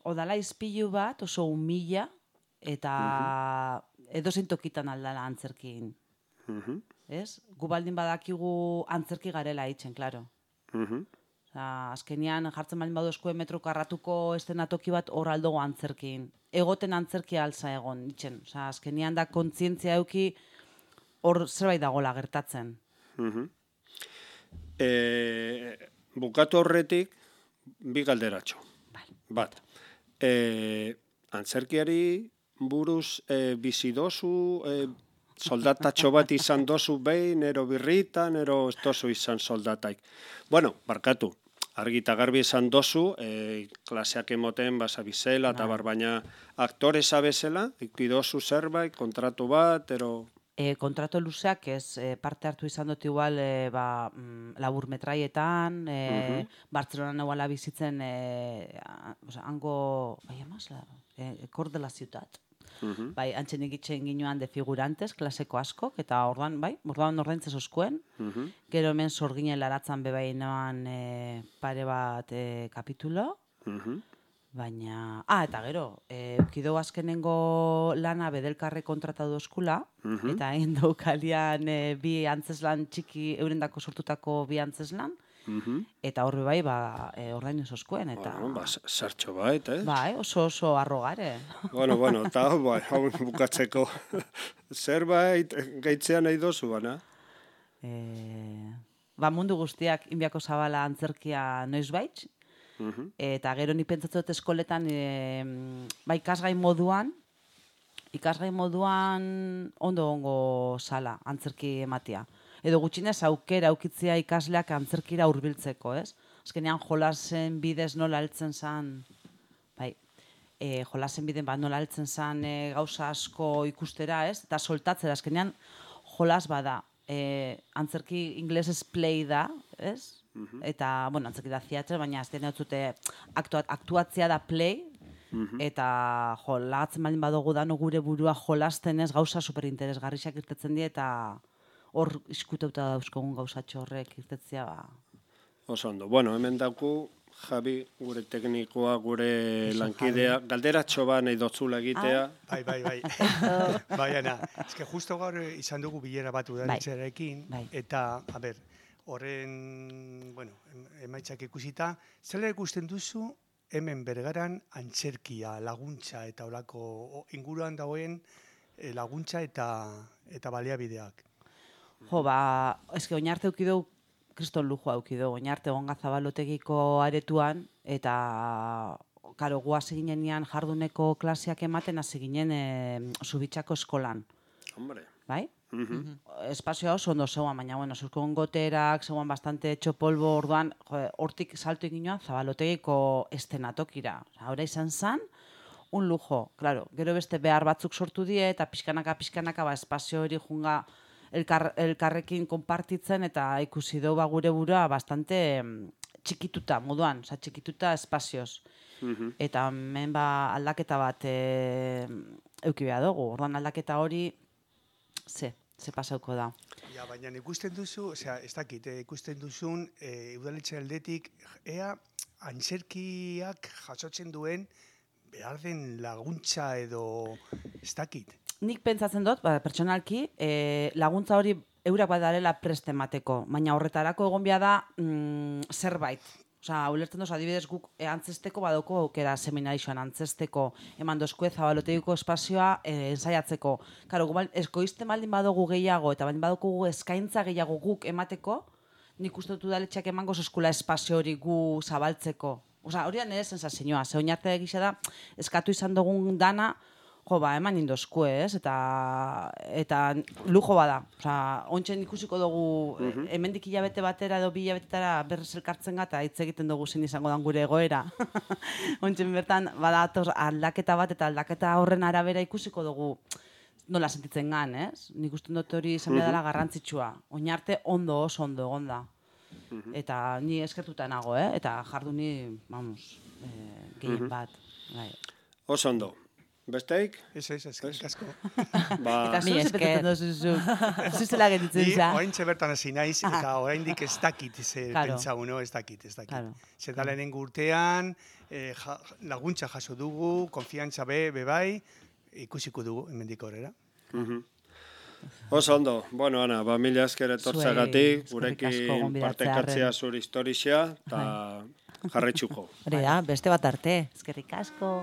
[SPEAKER 2] Odala izpilu bat, oso humila, eta edozein tokitan aldala antzerkin.
[SPEAKER 1] Mhm,
[SPEAKER 2] Ez? Gu baldin badakigu antzerki garela itzen, klaro.
[SPEAKER 1] mhm.
[SPEAKER 2] Osa, azkenean jartzen baldin badu eskue metro karratuko estenatoki bat hor aldogo antzerkin. Egoten antzerkia alza egon, itzen. Osa, azkenean da kontzientzia euki hor zerbait dagola gertatzen.
[SPEAKER 1] Mhm. E, bukatu horretik, bi galderatxo.
[SPEAKER 2] Vale.
[SPEAKER 1] Bat, e, antzerkiari buruz e, bizi dozu, e, soldatatxo bat izan dozu behin, ero birritan, ero ez dozu izan soldataik. Bueno, barkatu, argi eta garbi izan dozu, e, klaseak emoten basabizela, eta bar, baina aktore zabezela, ikidozu zerbait, kontratu bat, ero...
[SPEAKER 2] E, kontrato luzeak ez e, parte hartu izan dut igual e, ba, mm, labur metraietan, e,
[SPEAKER 1] Mhm.
[SPEAKER 2] Bartzelonan eguala bizitzen e, a, o sea, hango, bai amaz, la, e, Cor de la Ciutat.
[SPEAKER 1] Mhm.
[SPEAKER 2] Bai, antxen egitxen ginoan de figurantes, klaseko askok, eta orduan, bai, orduan ordaintzez oskuen.
[SPEAKER 1] Mhm.
[SPEAKER 2] Gero hemen sorginen laratzan bebainoan e, pare bat e, kapitulo.
[SPEAKER 1] Mhm.
[SPEAKER 2] Baina, ah, eta gero, e, eukideu azkenengo lana bedelkarre kontratatu oskula,
[SPEAKER 1] Mhm.
[SPEAKER 2] eta egin daukalian e, bi antzeslan txiki, eurendako sortutako bi antzeslan,
[SPEAKER 1] Mhm.
[SPEAKER 2] eta horbe bai, ba, e, ordainez oskuen, eta...
[SPEAKER 1] Bueno, ba, sartxo bait, eh?
[SPEAKER 2] Bai, oso oso arrogare.
[SPEAKER 1] Bueno, bueno, eta hau, bai, hau bukatzeko zerbait gehitzea nahi dozu, bana?
[SPEAKER 2] E, ba, mundu guztiak inbiako zabala antzerkia noizbait,
[SPEAKER 1] Mhm.
[SPEAKER 2] eta gero nik pentsatzen dut eskoletan, e, ba, ikasgai moduan, ikasgai moduan ondo ongo sala antzerki ematia. Edo gutxinez aukera aukitzea ikasleak antzerkira hurbiltzeko, ez? Azkenean jolasen bidez nola heltzen zan, bai, e, jolasen bidez ba, nola heltzen zan e, gauza asko ikustera, ez? Eta soltatzera, azkenean jolas bada, e, antzerki inglesez play da, ez? Eta, bueno, antzerki da theater, baina azkenean ez dute aktua, aktuatzea da play, eta jo, lagatzen baldin badugu dano gure burua jolasten ez gauza superinteresgarriak irtetzen die, eta hor iskuteuta dauzkogun gauzatxo horrek irtetzea, ba...
[SPEAKER 1] Oso ondo. Bueno, hemen dauku Javi, gure teknikoa, gure lankidea, galderatxo ba nahi dotzula egitea.
[SPEAKER 5] Bai, bai, bai. Bai, Ana, ez que justo gaur izan dugu bilera bat udaletxearekin,
[SPEAKER 2] Bai.
[SPEAKER 5] eta, a ber, horren, bueno, em- emaitzak ikusita, zela ikusten duzu hemen bergaran antzerkia, laguntza eta olako o- inguruan dagoen eh, laguntza eta eta baliabideak.
[SPEAKER 2] Jo, ba, eske oinarte eukideu, kriston lujo eukideu, oinarte onga zabalotegiko aretuan, eta, karo, guaz eginean jarduneko klaseak ematen hasi ginen e, Zubitxako eskolan,
[SPEAKER 1] Hombre.
[SPEAKER 2] bai?
[SPEAKER 1] Mhm.
[SPEAKER 2] Espazioa oso ondo zegoan, baina, bueno, zuzkon goterak, zegoan bastante etxo polvo, orduan, jo, hortik salto eginoan zabalotegiko estenatokira. Osa, ora izan zan, un lujo, claro, gero beste behar batzuk sortu die, eta pixkanaka, pixkanaka, ba, espazio hori junga elkar, elkarrekin konpartitzen, eta ikusi dugu ba, gure burua bastante mm, txikituta, moduan, oza, txikituta espazioz.
[SPEAKER 1] Mhm.
[SPEAKER 2] Eta hemen ba, aldaketa bat e, euki behar dugu, orduan aldaketa hori, ze, ze pasauko da.
[SPEAKER 5] Ja, baina ikusten duzu, osea, ez dakit, eh, ikusten duzun eh, udaletxe aldetik, ea antzerkiak jasotzen duen behar den laguntza edo ez dakit.
[SPEAKER 2] Nik pentsatzen dut, ba, pertsonalki, e, laguntza hori eurak badarela prest emateko, baina horretarako egon behar da mm, zerbait. Osa, ulertzen doz, adibidez guk e, antzesteko badoko aukera seminarixoan antzesteko eman dozkue zabalotegiko espazioa e, ensaiatzeko. Karo, gu bal- eskoizten baldin badugu gehiago eta baldin badugu eskaintza gehiago guk emateko, nik uste dut udaletxeak emango eskula espazio hori gu zabaltzeko. Osa, hori da nire sensazioa, ze oinarte egisa da, eskatu izan dugun dana, jo, ba, eman indozkue, ez? Eta, eta lujo bada. Osa, ontsen ikusiko dugu, mm hemendik hilabete batera edo bi hilabetetara berrez elkartzen gata, hitz egiten dugu zein izango dan gure egoera. Ontsen bertan, badatoz aldaketa bat eta aldaketa horren arabera ikusiko dugu nola sentitzen gan, ez? Nik uste dut hori izan behar dela garrantzitsua. Oinarte ondo, oso ondo egonda. Eta ni eskertuta nago, eh? Eta jarduni, vamos, eh, gehien bat. Bai.
[SPEAKER 1] Oso ondo. Besteik?
[SPEAKER 5] Ez, ez, eskerrik asko.
[SPEAKER 1] Ba,
[SPEAKER 2] Eta zu
[SPEAKER 3] Mi
[SPEAKER 2] ze
[SPEAKER 3] esker.
[SPEAKER 2] pentsatzen duzu zu. Zuzela gelditzen
[SPEAKER 5] Ni
[SPEAKER 2] za.
[SPEAKER 5] oraintxe bertan hasi naiz eta oraindik ez dakit ze
[SPEAKER 2] Claro.
[SPEAKER 5] pentsau, no, ez dakit, ez dakit.
[SPEAKER 2] Claro.
[SPEAKER 5] Ze da lehenengo urtean eh, ja, laguntza jaso dugu, konfiantza be, be bai, ikusiko dugu hemendik aurrera.
[SPEAKER 1] oso ondo. Bueno, Ana, ba, mila esker etortzagatik,
[SPEAKER 2] Zuei, eskerrik asko
[SPEAKER 1] gurekin
[SPEAKER 2] gonbidatzearren.
[SPEAKER 1] partekatzea zure historia, eta jarraitzuko.
[SPEAKER 3] Hori da, beste bat arte.
[SPEAKER 2] Eskerrik asko.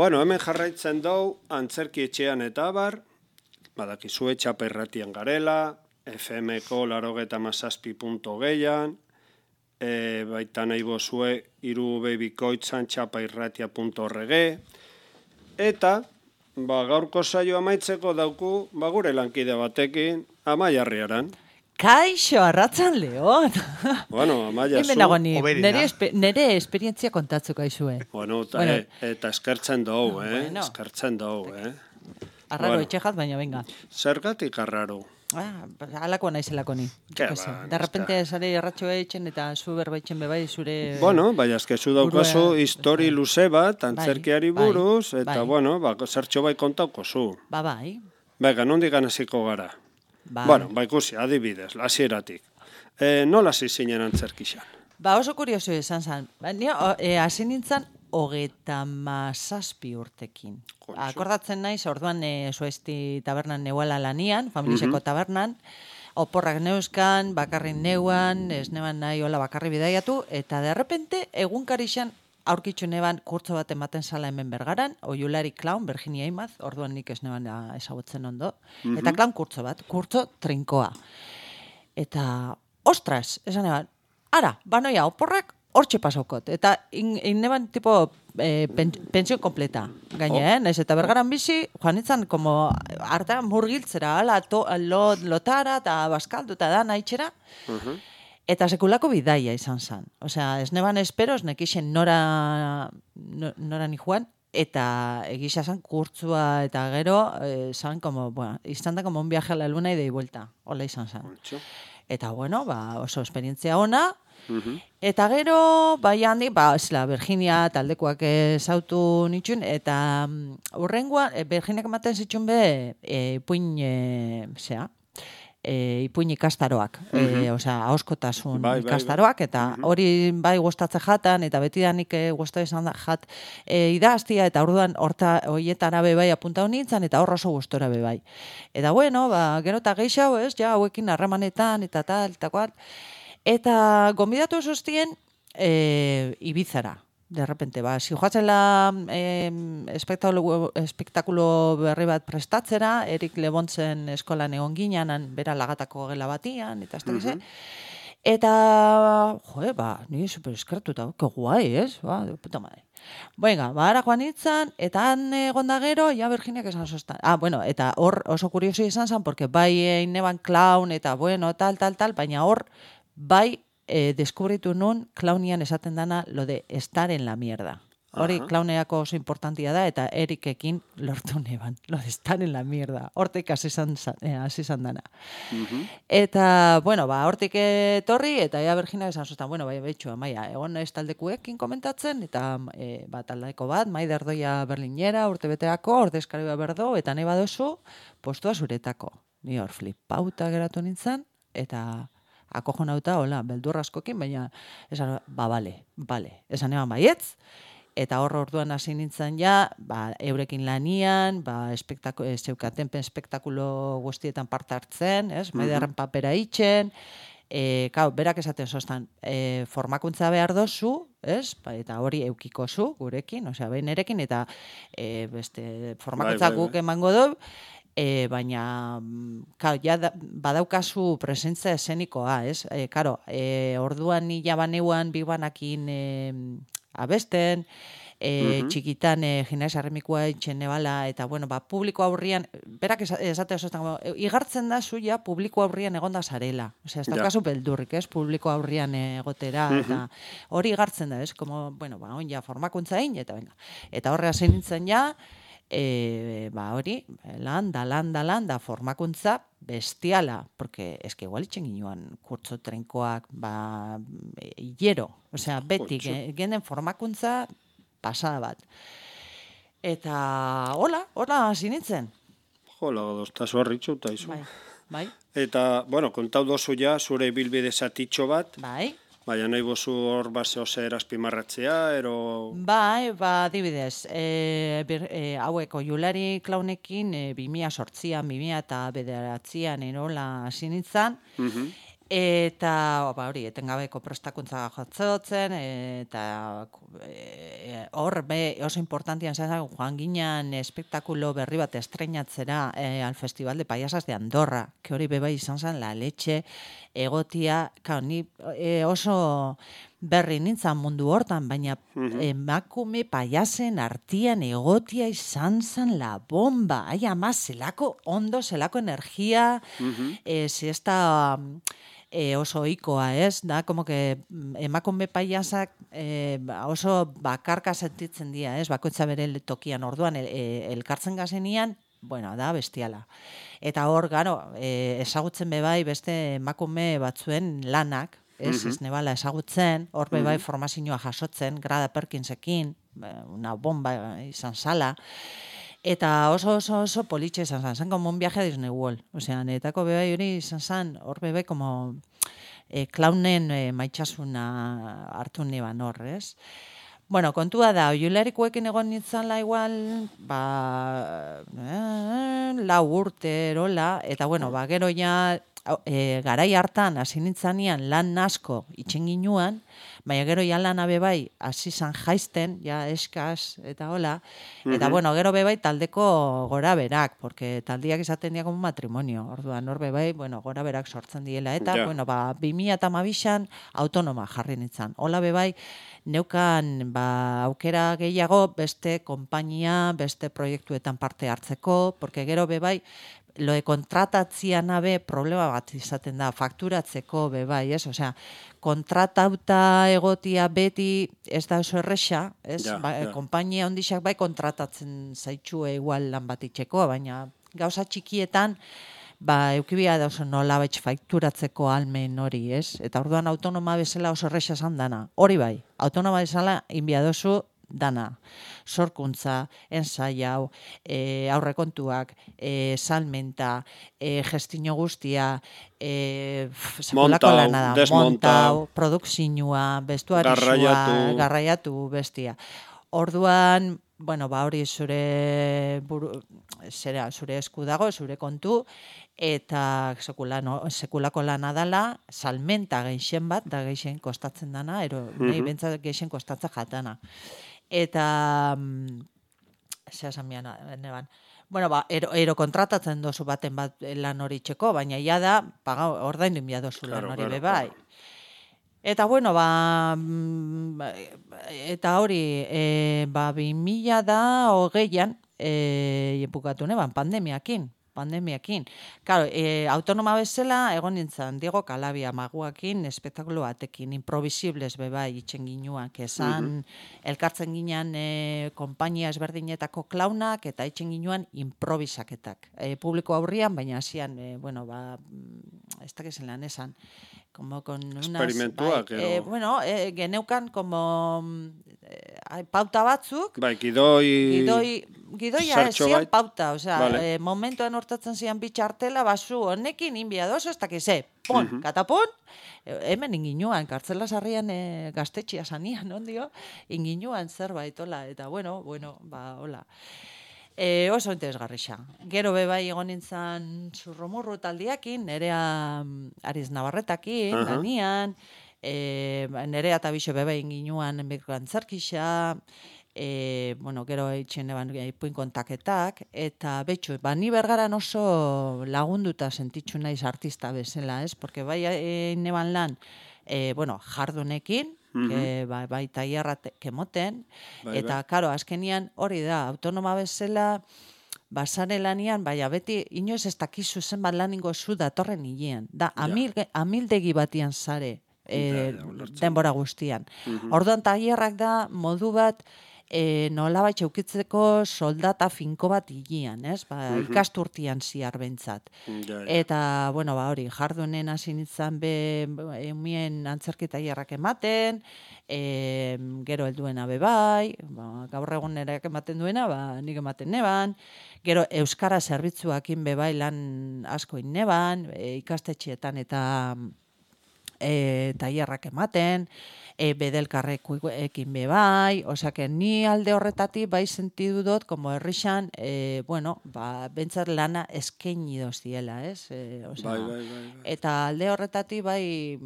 [SPEAKER 1] Bueno, hemen jarraitzen dugu antzerki etxean eta abar, badakizue Txapa Irratian garela, F M-ko larogeta mazazpi punto gehian, e, baita nahi bozue iru bebikoitzan txapa irratia punto org, eta ba, gaurko saio amaitzeko dauku ba, gure lankide batekin Amaiarriaran.
[SPEAKER 6] Kaixo, arratzan Leon.
[SPEAKER 1] Bueno, Amaia zu.
[SPEAKER 6] Nere, espe, nere esperientzia kontatzeko aizue.
[SPEAKER 1] Bueno, ta, bueno. E, eta eskertzen dugu, eh? Bueno. Eskertzen dugu, eh?
[SPEAKER 6] Arraro bueno. Etxejat, baina venga.
[SPEAKER 1] Zergatik arraro?
[SPEAKER 6] Ah, alako naizelako ni.
[SPEAKER 1] Ba,
[SPEAKER 6] de repente sare erratxo eitzen eta zu berbaitzen bebai zure...
[SPEAKER 1] Bueno, baina eske zu daukazu histori luze bat, antzerkiari buruz, bai, eta bai. Bueno, ba, zertxo bai kontauko zu.
[SPEAKER 6] Ba, bai.
[SPEAKER 1] Bega, nondik ganaziko gara?
[SPEAKER 6] Bai.
[SPEAKER 1] Bueno, ba ikusi, adibidez, hasieratik. E, nola hasi zinen antzerkixan?
[SPEAKER 6] Ba, oso kurioso izan zen. Ba, ni e, hasi nintzen hogeta mazazpi urtekin. Konso. Akordatzen naiz, orduan e, Zuesti tabernan neuala lanian, familiseko uh-huh. tabernan, oporrak neuzkan, bakarrin neuan, ez neban nahi hola bakarri bidaiatu, eta de repente egunkarixan aurkitzu neban kurtzo bat ematen zala hemen Bergaran, Oiulari Klaun, Virginia Imaz, orduan nik ez neban ezagutzen ondo, uh-huh. eta klaun kurtzo bat, kurtzo trinkoa. Eta, ostras, esan neban, ara, banoia, oporrak hortxe pasaukot, eta in, in neban tipo eh, pen, pensio kompleta, gainen, oh. ez, eta Bergaran bizi, joan itzan, como, harta murgiltzera, ala, to, lo, lotara, eta baskaldu, eta da, nahitxera, uh-huh. Eta sekulako bidaia izan zen. Osea, ez neban espero, ez nekixen nora, nora ni joan, eta egisa zen kurtzua eta gero, eh, zan, como, bueno, izan da como un viaje a la luna y de vuelta. Hola izan zen. Eta, bueno, ba, oso esperientzia ona, uh-huh. eta gero, bai handi, ba, zela, Virginia taldekoak ezautu nitxun, eta um, urrengoan, e, Virginiak ematen zitxun be, e, puin, e, zea, E, ipuin ikastaroak, uh-huh. e, osea, ahoskotasun bai, ikastaroak, bai, bai. Eta uh-huh. hori bai gustatze jatan, eta beti danik e, gusta izan da jat e, idaztia, eta orduan horta hoietara be bai apuntau nintzen, eta hor oso gustora be bai. Eta bueno, ba, gero eta geixau, ez, ja, hauekin harremanetan, eta tal, eta kuat, eta gonbidatu zuztien e, Ibizara. De repente, ba, si joatzela eh, espektakulo, espektakulo berri bat prestatzera, Erik Lebontzen eskolan egon ginean, bera lagatako gela batian, eta ez da uh-huh. Eta, joe, ba, nire super eskertuta, que guai, ez? Ba, de puta madre. Venga, ba, ara joan itzan, eta han egon da gero, ja Virginiak esan zoztan. Ah, bueno, eta hor oso kurioso izan zen, porque bai egin neban klaun, eta bueno, tal, tal, tal, baina hor, bai, Eh, deskubritu nun klaunian esaten dana lo de estar en la mierda. Hori klauneako oso importantia da, eta Erikekin lortu neban, lo de estar en la mierda. Hortik hasi izan eh, dana. Uh-huh. Eta, bueno, ba, hortik etorri, eta ea Virginia esan zuztan, bueno, bai, betxu, Amaia, egon ez taldekuekin komentatzen, eta e, ba, taldeko bat, Maider Doia Berlinera, urte beteako, ordezkari berdo, eta nahi badozu, postua zuretako. Ni hor flipauta geratu nintzen, eta akojonauta, hola, beldur askokin, baina, esan, ba, bale, bale, esan eban baietz, eta hor orduan hasi nintzen ja, ba, eurekin lanian, ba, espektaku, e, zeukaten espektakulo guztietan parte hartzen, ez? Maiderren papera itxen, e, kau, berak esaten zoztan, e, formakuntza behar dozu, ez? Ba, eta hori eukiko zu gurekin, osea, behin erekin, eta e, beste formakuntza
[SPEAKER 1] Bai, bai,
[SPEAKER 6] guk
[SPEAKER 1] bai.
[SPEAKER 6] emango du, e, baina, kau, ja da, badaukazu presentza esenikoa, ez? E, karo, e, orduan ni jabaneuan bibanakin e, abesten, e, txikitan e, gimnasia arrimikoa itxen nebala, eta bueno, ba, publiko aurrian, berak esate oso, igartzen da zu ja publiko aurrian egonda zarela. Osea, ez daukazu beldurrik, ez? Publiko aurrian egotera, eta hori igartzen da, ez? Como, bueno, ba, on ja formakuntza egin, eta venga. Eta horre hasi nintzen ja, e, ba, hori, lan da, lan da, lan da, formakuntza bestiala, porque es que igual itxen ginoan kurtso trenkoak, ba, hiero, osea, beti, genen formakuntza pasada bat. Eta, hola, hola, hasi nintzen.
[SPEAKER 1] Jola, doztazu harritxu, eta izu.
[SPEAKER 6] Bai, bai.
[SPEAKER 1] Eta, bueno, kontau dozu ja, zure bilbide zatitxo bat,
[SPEAKER 6] Bai.
[SPEAKER 1] baina nahi bozu hor baseo zer azpimarratzea, ero...
[SPEAKER 6] Bai, ba, dibidez, e, bir, e, haueko julari klaunekin e, bimia sortzian, bimia eta bederatzian erola hasi nintzen, eta ba, hori, etengabeko prestakuntza jatzotzen, eta e, hor, be, oso importantian zazan, joan ginen espektakulo berri bat estreinatzera e, al Festival de Payasas de Andorra, que hori beba izan zen la leche egotia, kao, ni e, oso berri nintzen mundu hortan, baina emakume payasen artian egotia izan zen la bomba, ai ama, zelako ondo, zelako energia, e, siesta... E, oso ohikoa, ez? Da, como que emakume paiasak e, oso bakarka sentitzen dira, ez? Bakoitza bere tokian orduan el, elkartzen gazenian, bueno, da bestiala. Eta hor, garo, e, ezagutzen bebai beste emakume batzuen lanak, ez? Ez nebala ezagutzen, hor bebai formazioa jasotzen, Grada Perkinsekin, una bomba izan zala, eta oso oso oso politxe izan zen, zen como un viaje a Disney World. Osea, netako bebai hori izan zen, hor bebai como e, klaunen e, maitxasuna hartu neban hor, ez? Bueno, kontua da, oiularikoekin egon nintzala igual, ba, eh, lau urte erola, eta bueno, ba, gero ja, e, garai hartan hasi nintzanean lan asko itxen ginuan, baina gero ja lana bebai hasi zan jaisten, ja eskaz, eta hola, eta bueno, gero bebai taldeko gora berak, porque taldiak izaten dira como matrimonio, orduan hor bebai, bueno, gora berak sortzen diela, eta,
[SPEAKER 1] ja.
[SPEAKER 6] bueno, ba, bi mila hamabixan autonoma jarri nintzen, hola bebai, neukan ba, aukera gehiago beste konpainia, beste proiektuetan parte hartzeko, porque gero bebai, lo de kontratatzian abe problema bat izaten da, fakturatzeko bebai, ez? Osea, kontratauta egotia beti ez da oso erresa, ez?
[SPEAKER 1] Ja,
[SPEAKER 6] ba,
[SPEAKER 1] ja.
[SPEAKER 6] Konpainia ondixak bai kontratatzen zaitxue igual lan bat itxeko, baina gauza txikietan ba, eukibia da oso nola baitz fakturatzeko almen hori, ez? Eta orduan autonoma bezala oso erresa esan dana. Hori bai, autonoma bezala inbiadozu dana. Sorkuntza, ensaiau, e, aurrekontuak, e, salmenta, e, gestino guztia, e, sekulako
[SPEAKER 1] Montau,
[SPEAKER 6] lana da,
[SPEAKER 1] desmontau,
[SPEAKER 6] montau, produkzinua, bestuarizua,
[SPEAKER 1] garraiatu.
[SPEAKER 6] garraiatu bestia. Orduan, bueno, ba hori zure buru, zera, zure esku dago, zure kontu, eta sekulano, sekulako lana dala, salmenta geixen bat, da geixen kostatzen dana, ero, nahi bentsat geixen kostatzen jatana. Eta, zera zamian, neban, bueno, ba, ero, ero kontratatzen dozu baten bat lan hori txeko, baina ja da, paga, ordaindu inbia dozu lan
[SPEAKER 1] Claro,
[SPEAKER 6] hori
[SPEAKER 1] claro,
[SPEAKER 6] bebai.
[SPEAKER 1] claro.
[SPEAKER 6] Eta, bueno, ba, eta hori, e, ba, bi mila da hogeian, e, bukatu neban, pandemiakin, pandemiakin. Claro, e, autonoma bezala, egon nintzen, Diego Calabia maguakin, espektakulo batekin, improbisibles bebai itxen ginuak, esan, elkartzen ginean e, konpainia ezberdinetako klaunak, eta itxen ginuan improvisaketak. E, publiko aurrian, baina hasian, e, bueno, ba, ez dakizen lan esan, como con unas...
[SPEAKER 1] Esperimentuak,
[SPEAKER 6] bai,
[SPEAKER 1] edo.
[SPEAKER 6] eh, bueno, eh, geneukan como eh, pauta batzuk,
[SPEAKER 1] Bai, gidoi...
[SPEAKER 6] gidoi, gidoia ez
[SPEAKER 1] zertxo
[SPEAKER 6] zian
[SPEAKER 1] bait.
[SPEAKER 6] pauta, osea,
[SPEAKER 1] Vale.
[SPEAKER 6] eh, momentuan hortatzen zian bitxartela, basu honekin, inbia dozo, ez dakiz, eh, pon, katapon, eh, hemen inginuan, kartzela sarrian eh, gaztetxia sanian, ondio, inginuan zerbait, hola, eta bueno, bueno, ba, hola. E, oso interesgarrixa. Gero bebai egon nintzen zurromurru taldiakin, nerea Ariz Navarretakin,
[SPEAKER 1] Aha.
[SPEAKER 6] lanian, e, nerea eta bixe bebai inginuan enbeko antzerkixa, e, bueno, gero eitzen eban ipuin kontaketak, eta betxu, ba, ni bergaran oso lagunduta sentitzu naiz artista bezala, ez? Porque bai e, neban lan, e, bueno, jardunekin, que bai, bai tailerra kemoten,
[SPEAKER 1] Bai,
[SPEAKER 6] eta, karo, azkenian hori da, autonoma bezala, basare lanian, baina beti, inoiz ez dakizu zenbat laningo zu datorren hilean. Da, amil, amildegi batian zare e,
[SPEAKER 1] Ja, ja, ulertzen.
[SPEAKER 6] denbora guztian. Orduan, tailerrak da modu bat, e, nolabait eukitzeko soldata finko bat hilean, ez? Ba, ikasturtian ziar bentzat.
[SPEAKER 1] Ja, ja.
[SPEAKER 6] Eta, bueno, ba, hori, jardunen hasi nintzen be, eumien antzerki tailerrak ematen, e, gero helduena be bai, ba, gaur egun nereak ematen duena, ba, nik ematen neban, gero euskara zerbitzuakin be bai lan asko inneban, e, ikastetxeetan eta e, tailerrak ematen, e, bedelkarrekin be bai, osea que ni alde horretatik bai sentidu dut, como herrixan, e, bueno, ba, bentsat lana eskaini doztiela, ez? E, osea,
[SPEAKER 1] Bai, bai, bai, bai.
[SPEAKER 6] eta alde horretatik bai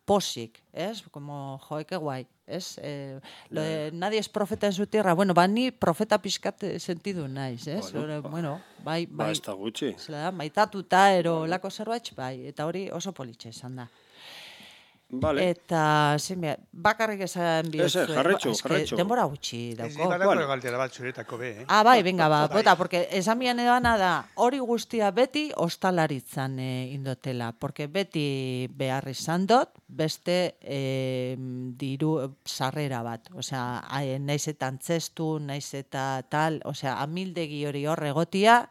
[SPEAKER 6] posik, ez? Como, joeke guai, ez? Eh, lo de, nadie es profeta en su tierra. Bueno, ba, ni profeta pixkat sentidu naiz, ez?
[SPEAKER 1] Bueno,
[SPEAKER 6] Bueno, bueno, bai,
[SPEAKER 1] Ba,
[SPEAKER 6] bai,
[SPEAKER 1] ez da gutxi.
[SPEAKER 6] zela da, maitatuta, ero lako zerbait, bai, eta hori oso politxe izan da.
[SPEAKER 1] Vale.
[SPEAKER 6] Eta, zein behar, bakarrik esan bihotzu.
[SPEAKER 1] Ez, ez, jarraitzu, jarraitzu.
[SPEAKER 6] Denbora gutxi
[SPEAKER 5] Ez
[SPEAKER 6] dauko.
[SPEAKER 5] badako
[SPEAKER 1] Bueno.
[SPEAKER 5] galdera bat zuretako be, eh?
[SPEAKER 6] Ah, bai, venga, ba,
[SPEAKER 5] Bai.
[SPEAKER 6] bota, porque esan bian edana da, hori guztia beti ostalaritzan e, indotela, porque beti behar izan dut, beste e, diru sarrera bat, osea, a- naiz eta antzestu, naiz eta tal, osea, amildegi hori hor egotia,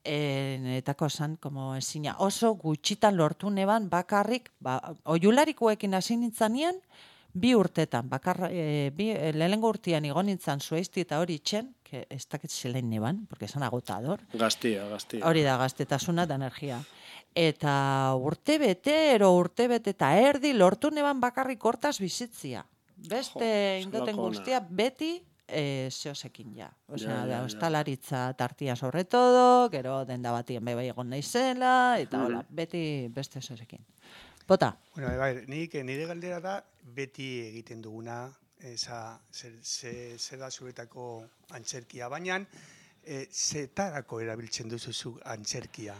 [SPEAKER 6] e, etako esan, como ezina, oso gutxitan lortu neban bakarrik, ba, oiularikoekin hasi nintzanean, bi urtetan, bakar, e, bi, e, lehenengo urtean igon nintzen zueizti eta hori itxen, que ez dakit zelain neban, porque esan agotador,
[SPEAKER 1] Gaztia, gaztia.
[SPEAKER 6] hori da, gaztetasuna da energia. Eta urte bete, ero urte bete eta erdi lortu neban bakarrik hortaz bizitzia. Beste
[SPEAKER 1] Jo,
[SPEAKER 6] indoten
[SPEAKER 1] zelako ona.
[SPEAKER 6] guztia beti e, zeosekin ja. Osea,
[SPEAKER 1] Ja, ja,
[SPEAKER 6] da,
[SPEAKER 1] ja.
[SPEAKER 6] ostalaritza tartia sobre todo, gero denda batien bai egon naizela, eta hola, beti beste zeosekin. Bota.
[SPEAKER 5] Bueno, bai, nik, nire galdera da, beti egiten duguna, eza, zer, zer, zer da zuretako antzerkia, baina e, zetarako erabiltzen duzu zu antzerkia.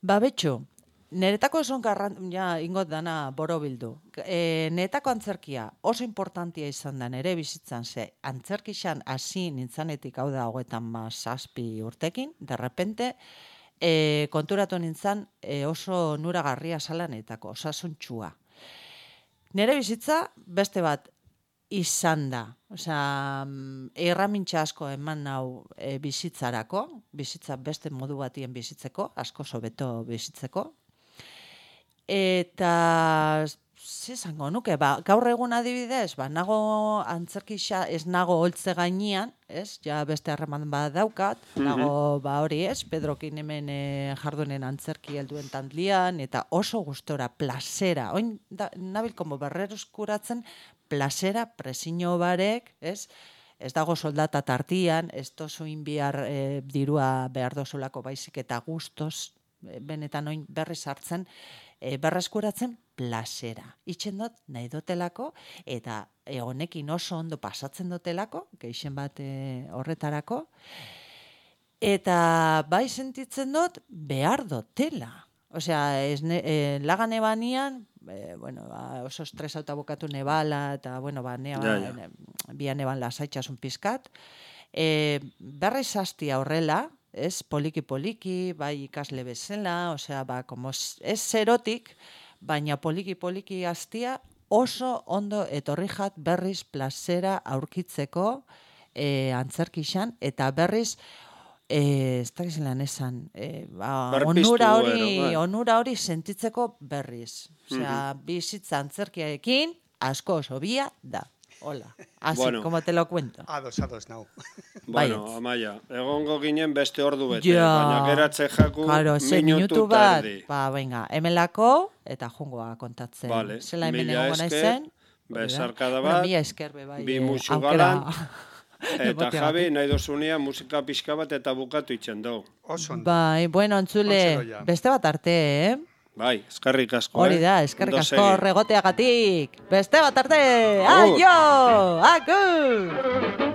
[SPEAKER 6] Ba, betxo, niretako eson garran, ja, ingot dana borobildu. E, niretako antzerkia oso importantia izan da nire bizitzan ze, antzerkixan hasi nintzanetik hau da hogetan mazazpi urtekin, de repente, e, konturatu nintzen e, oso nuragarria salanetako, osasuntxua. Nire bizitza beste bat izan da. Osea, erramintxa asko eman nau e, bizitzarako, bizitza beste modu batien bizitzeko, asko sobeto bizitzeko. Eta, ze zango nuke, ba, gaur egun adibidez, ba, nago antzerkixa, ez nago holtze gainean, ez, ja beste harreman bat daukat, nago, ba hori ez, Pedrokin hemen e, jardunen antzerki helduen tantlian, eta oso gustora, plazera, oin, da, nabil, como berreruskuratzen, plazera, presiño barek, ez, ez dago soldata tartian, ez tozu inbiar e, dirua behar dozulako baizik eta gustos, e, benetan oin berriz hartzen, e, berreskuratzen plazera. Itxen dut nahi dotelako, eta e, honekin oso ondo pasatzen dotelako, geixen bat e, horretarako, eta bai sentitzen dut behar dotela. Osea, ez ne, e, lagan ebanian, e, bueno, ba, oso estresauta bokatu nebala, eta, bueno, ba, nea,
[SPEAKER 1] Ja, ja.
[SPEAKER 6] e, bian eban lasaitxasun pizkat. E, berriz hastia horrela, ez, poliki-poliki, bai ikasle bezala, osea, ba, como ez zerotik, baina poliki-poliki hastia oso ondo etorri jat berriz plazera aurkitzeko e, antzerkixan, eta berriz eh, ez dakiz lan esan, eh, ba,
[SPEAKER 1] Berpiztu
[SPEAKER 6] onura hori,
[SPEAKER 1] gero, bai.
[SPEAKER 6] onura hori sentitzeko berriz. Osea, bizitza antzerkiarekin asko oso bia da. Hola, así
[SPEAKER 1] Bueno.
[SPEAKER 6] como te lo cuento.
[SPEAKER 5] Ados, ados, nau.
[SPEAKER 1] Bueno,
[SPEAKER 6] Baietz.
[SPEAKER 1] Amaia, egongo ginen beste ordu bete,
[SPEAKER 6] Ja.
[SPEAKER 1] baina geratze jaku
[SPEAKER 6] Claro, ze
[SPEAKER 1] minutu
[SPEAKER 6] minutu bat,
[SPEAKER 1] tardi.
[SPEAKER 6] ba, venga, hemelako, eta jungoa kontatzen.
[SPEAKER 1] Vale,
[SPEAKER 6] Zela hemen
[SPEAKER 1] mila
[SPEAKER 6] egongo
[SPEAKER 1] esker,
[SPEAKER 6] naizen.
[SPEAKER 1] besarkada
[SPEAKER 6] Bueno,
[SPEAKER 1] bat,
[SPEAKER 6] mila esker be bai.
[SPEAKER 1] bi
[SPEAKER 6] eh,
[SPEAKER 1] musu
[SPEAKER 6] aukera
[SPEAKER 1] galan, eta
[SPEAKER 6] emateagatik.
[SPEAKER 1] Javi, nahi dozunia musika pixka bat eta bukatu itxen dugu.
[SPEAKER 5] Oso ondo.
[SPEAKER 6] Bai, bueno, entzule,
[SPEAKER 5] Ontzeloia.
[SPEAKER 6] beste bat arte, eh?
[SPEAKER 1] Bai, eskerrik asko,
[SPEAKER 6] Hori
[SPEAKER 1] eh?
[SPEAKER 6] da, eskerrik
[SPEAKER 1] Ondo
[SPEAKER 6] asko
[SPEAKER 1] segi.
[SPEAKER 6] regoteagatik. Beste bat arte,
[SPEAKER 1] Agur.
[SPEAKER 6] aio, agur!